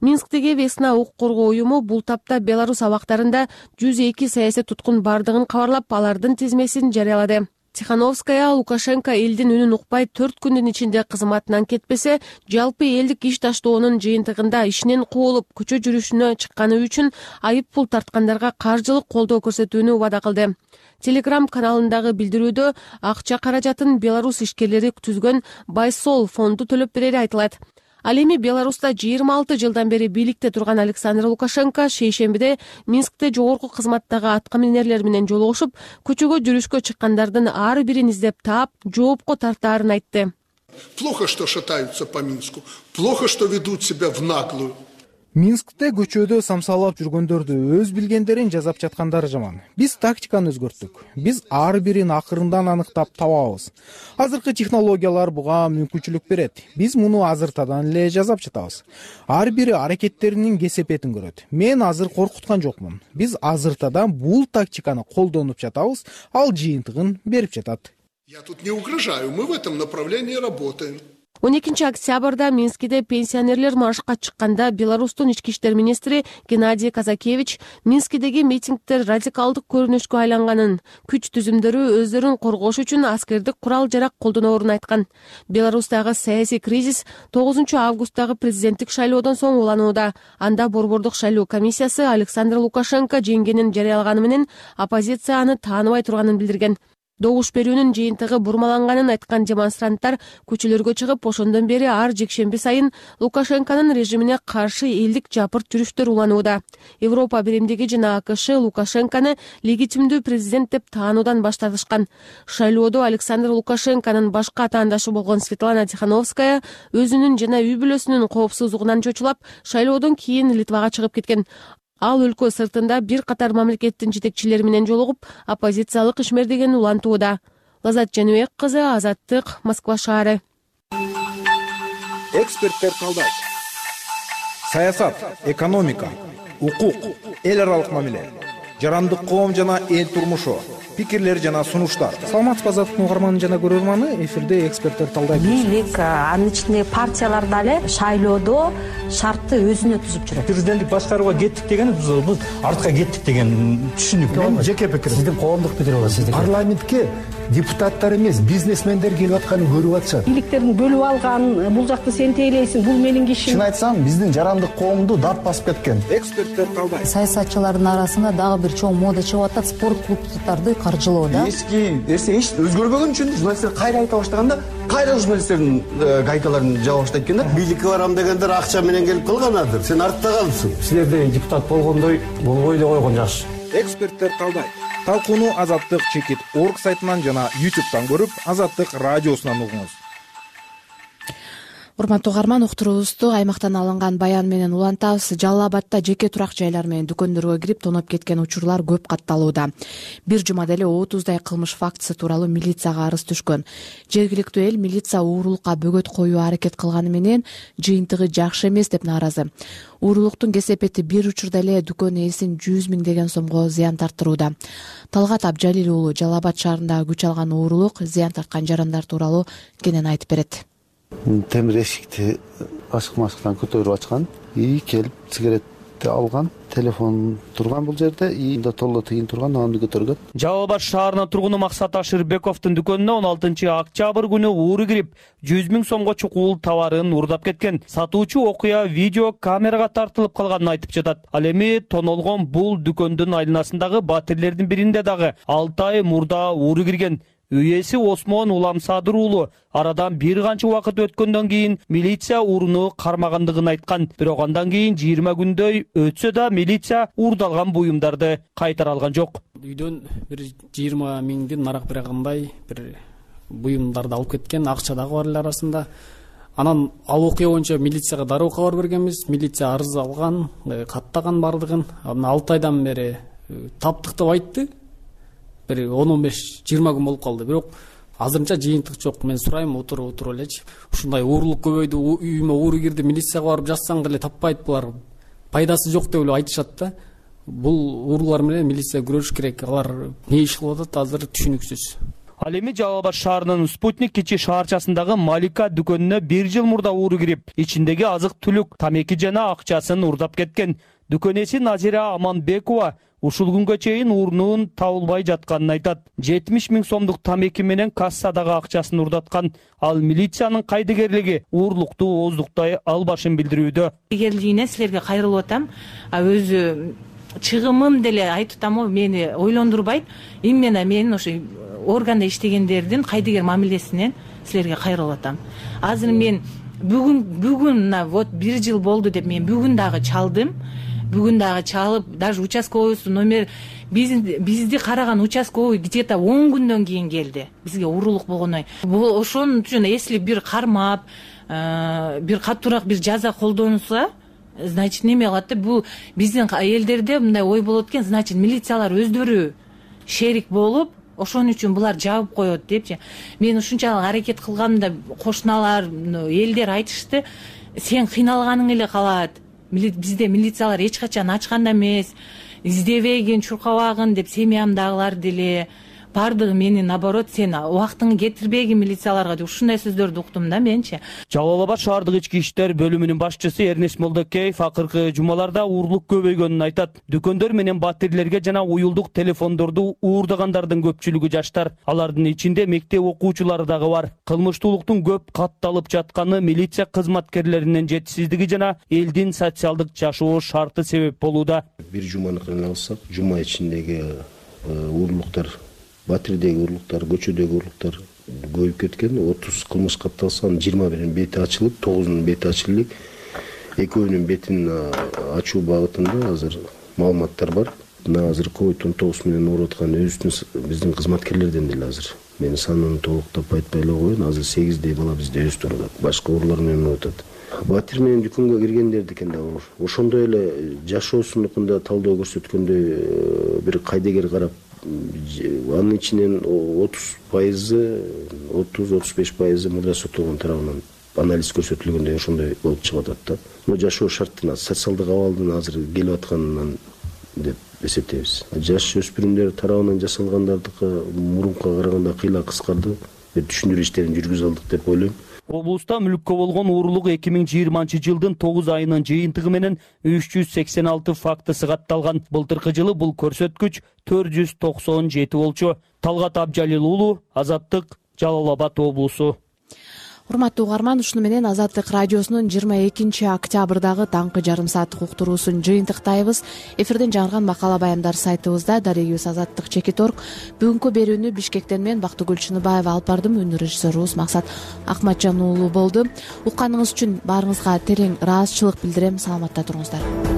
Минсктеги Весна укук коргоо уюму бул тапта Беларусь абактарында жүз эки саясий туткун бардыгын кабарлап, алардын тизмесин жарыялады. Тихановская Лукашенко элдин үнүн укпай төрт күндүн ичинде кызматынан кетпесе, жалпы элдик иш таштоонун жыйынтыгында ишинен куулуп, көчө жүрүшүнө чыкканы үчүн айып пул тарткандарга каржылык колдоо көрсөтүүнү убада кылды. Телеграм каналындагы билдирүүдө акча каражатын Беларусь ишкерлери түзгөн Байсол фонду төлөп берери айтылат. Ал эми Беларуста жыйырма алты жылдан бери бийликте турган Александр Лукашенко шейшембиде Минскте жогорку кызматтагы аткаминерлер менен жолугушуп, көчөгө жүрүшкө чыккандардын ар бирин издеп таап, жоопко тартаарын айтты. Плохо, что шатаются по Минску. Плохо, что ведут себя в наглую. Минскте көчөдө самсалап жүргөндөрдү өз билгендерин жазап жаткандары жаман. Биз тактиканы өзгөрттүк. Биз ар бирин акырындан аныктап табабыз. Азыркы технологиялар буга мүмкүнчүлүк берет. Биз муну азыртадан эле жазап жатабыз. Ар бири аракеттеринин кесепетин көрөт. Мен азыр коркуткан жокмун. Биз азыртадан бул тактиканы колдонуп жатабыз, ал жыйынтыгын берип жатат. Я тут не угрожаю, мы в этом направлении работаем. он экинчи октябрда Минскиде пенсионерлер маршка чыкканда Беларустун ички иштер министри Геннадий Казакевич Минскидеги митингдер радикалдык көрүнүшкө айланганын, күч түзүмдөрү өздөрүн коргош үчүн аскердик курал жарак колдоноорун айткан. Беларустагы саясий кризис тогузунчу августтагы президенттик шайлоодон соң уланууда. Анда борбордук шайлоо комиссиясы Александр Лукашенко жеңгенин жарыялаганы менен оппозиция аны тааныбай турганын билдирген. Добуш берүүнүн жыйынтыгы бурмаланганын айткан демонстранттар көчөлөргө чыгып, ошондон бери ар жекшемби сайын Лукашенконун режимине каршы элдик жапырт жүрүштөр уланууда. Европа биримдиги жана АКШ Лукашенкону легитимдүү президент деп таануудан баш тартышкан. Шайлоодо Александр Лукашенконун башка атаандашы болгон Светлана Тихановская өзүнүн жана үй бүлөсүнүн коопсуздугунан чочулап, шайлоодон кийин Литвага чыгып кеткен. Ал өлкө сыртында бир катар мамлекеттин жетекчилери менен жолугуп, оппозициялык ишмердигин улантууда. Лаззат Жаныбек кызы, Азаттык, Москва шаары. Эксперттер талдайт. Саясат, экономика, укук, эл аралык мамиле, жарандык коом жана эл турмушу, пикирлер жана сунуштар. Саламатсызбы Азаттык угарманы жана көрөрманы, эфирде эксперттер талдайт. Бийлик, анын ичинде партиялар дагы шайлоодо шартты өзүнө түзүп жүрөт. Президенттик башкарууга кеттик деген биз артка кеттик деген түшүнүк. Мен жеке пикирим. Сиздин коомдук пикир болот, сиздин. Парламентке депутаттар эмес, бизнесмендер келип атканын көрүп атышат. Бийликтерин бөлүп алган, бул жакты сен тейлейсиң, бул менин кишим. Чын айтсам, биздин жарандык коомду дарт басып кеткен. Эксперттер талдайт. Саясатчылардын арасында дагы бир чоң мода чыгып атат, спорт клубдарды каржылоо да. Эски нерсе эч өзгөрбөгөн үчүн журналисттер кайра айта баштаганда кайра журналисттердин гайкаларын жаба баштайт экен да. Бийликке барам дегендер акча менен келип калганадыр. Сен артта калыпсың. Силердей депутат болгондой болбой эле койгон жакшы. Эксперттер калдайт. Талкууну Азаттык чекит орг сайтынан жана ютубтан көрүп, Азаттык радиосунан угуңуз. Урматтуу угарман, уктуруубузду аймактан алынган баян менен улантабыз. Жалал Абадда жеке турак жайлар менен дүкөндөргө кирип тоноп кеткен учурлар көп катталууда. Бир жумада эле отуздай кылмыш фактысы тууралуу милицияга арыз түшкөн. Жергиликтүү эл милиция уурулукка бөгөт коюу аракет кылганы менен жыйынтыгы жакшы эмес деп нааразы. Уурулуктун кесепети бир учурда эле дүкөн ээсин жүз миң деген сомго зыян тарттырууда. Талгат Абжалил уулу Жалал Абад шаарындагы күч алган уурулук, зыян тарткан жарандар тууралуу кенен айтып берет. Темир эшикти ашык машыктан көтөрүп ачкан, и келип сигаретти алган, телефон турган бул жерде, и да толло тыйын турган, анды көтөргөн. Жалал Абад шаарынын тургуну Максат Ашырбековдун дүкөнүнө он алтынчы октябрь күнү ууру кирип, жүз миң сомго чукул товарын уурдап кеткен. Сатуучу окуя видео камерага тартылып калганын айтып жатат. Ал эми тонолгон бул дүкөндүн айланасындагы батирлердин биринде дагы алты ай мурда ууру кирген. Үй ээси Осмон Уламсадыр уулу арадан бир канча убакыт өткөндөн кийин милиция ууруну кармагандыгын айткан. Бирок андан кийин жыйырма күндөй өтсө да милиция уурдалган буюмдарды кайтара алган жок. Үйдөн бир жыйырма миңдин нарак бирагандай бир буюмдарды алып кеткен, акча дагы бар эле арасында. Анан ал окуя боюнча милицияга дароо кабар бергенбиз. Милиция арыз алган, каттаган бардыгын. Анан алты айдан бери таптык деп айтты. Бир он он беш жыйырма күн болуп калды. Бирок азырынча жыйынтык жок. Мен сурайм, отуруп отуруп элечи. Ушундай уурулук көбөйдү, үйүмө ууру кирди, милицияга барып жазсаң деле таппайт, булар пайдасы жок деп эле айтышат да. Бул уурулар менен милиция күрөшүш керек. Алар не иш кылып атат, азыр түшүнүксүз. Ал эми Жалал Абад шаарынын Спутник кичи шаарчасындагы Малика дүкөнүнө бир жыл мурда ууру кирип, ичиндеги азык-түлүк, тамеки жана акчасын уурдап кеткен. Дүкөн ээси Назира Аманбекова ушул күнгө чейин уурунун табылбай жатканын айтат. жетимиш миң сомдук тамеки менен кассадагы акчасын уурдаткан. Ал милициянын кайдыгерлиги уурулукту ооздуктай албашын билдирүүдө. Кайдыгерлигине силерге кайрылып атам. А өзү чыгымым деле айтып атам, мени ойлондурбайт. Именно мен ошо органда иштегендердин кайдыгер мамилесинен силерге кайрылып атам. Азыр мен бүгүн бүгүн вот бир жыл болду деп мен бүгүн дагы чалдым. Бүгүн дагы чалып, даже участковыйсу номер бизди караган участковый где-то он күндөн кийин келди. Бизге уурулук болгоной. Бул ошон үчүн эсли бир кармап, бир катуураак бир жаза колдонулса, значит неме кылат да, бул биздин элдерде мындай ой болот экен, значит милициялар өздөрү шерик болуп, ошон үчүн булар жабып коет депчи. Мен ушунчалык аракет кылганда кошуналар, элдер айтышты, сен кыйналганың эле калат. Бизде милициялар эч качан ачкан эмес, издебегин, чуркабагын деп семьямдагылар деле бардыгы мени наоборот сен убактыңы кетирбегин милицияларга деп ушундай сөздөрдү уктум да менчи. Жалал Абад шаардык ички иштер бөлүмүнүн башчысы Эрнест Молдокеев акыркы жумаларда уурулук көбөйгөнүн айтат. Дүкөндөр менен батирлерге жана уюлдук телефондорду уурдагандардын көпчүлүгү жаштар. Алардын ичинде мектеп окуучулары дагы бар. Кылмыштуулуктун көп катталып жатканы милиция кызматкерлеринин жетишсиздиги жана элдин социалдык жашоо шарты себеп болууда. Бир жуманы алсак, жума ичиндеги уурулуктар, батирдеги уурулуктар, көчөдөгү уурулуктар көбөйүп кеткен. отуз кылмыш катталса, жыйырма биринин бети ачылып, тогузунун бети ачылып, экөөнүн бетин ачуу багытында азыр маалыматтар бар. Мына азыр ковид он тогуз менен ооруп аткан өзүбүздүн биздин кызматкерлерден деле азыр мен санын толуктап айтпай эле коеюн, азыр сегиздей бала бизде өз турат. Башка уурулар менен ооруп атат. Батир менен дүкөнгө киргендердикин да ошондой эле жашоосунукунда талдоо көрсөткөндөй бир кайдыгер карап, анын ичинен отуз пайызы, отуз отуз беш пайызы мурда соттолгон тарабынан анализ көрсөтүлгөндөй ошондой болуп чыгып атат да. Бул жашоо шартына, социалдык абалдын азыр келип атканынан деп эсептейбиз. Жаш өспүрүмдөр тарабынан жасалгандардыкы мурункуга караганда кыйла кыскарды, түшүндүрүү иштерин жүргүзө алдык деп ойлойм. Облуста мүлккө болгон уурулук эки миң жыйырманчы жылдын тогуз айынын жыйынтыгы менен үч жүз сексен алты фактысы катталган. Былтыркы жылы бул көрсөткүч төрт жүз токсон жети болчу. Талгат Абжалил уулу, Азаттык, Жалал Абад облусу. урматтуу угарман, ушуну менен Азаттык радиосунун жыйырма экинчи октябрдагы таңкы жарым сааттык уктуруусун жыйынтыктайбыз. Эфирден жаңырган макала баяндар сайтыбызда. Дарегибиз Азаттык Чекиторг. Бүгүнкү берүүнү Бишкектен мен Бактыгүл Чыныбаева алып бардым. Үнү режиссерубуз Максат Акматжан уулу болду. Укканыңыз үчүн баарыңызга терең ыраазычылык билдирем. Саламатта туруңуздар.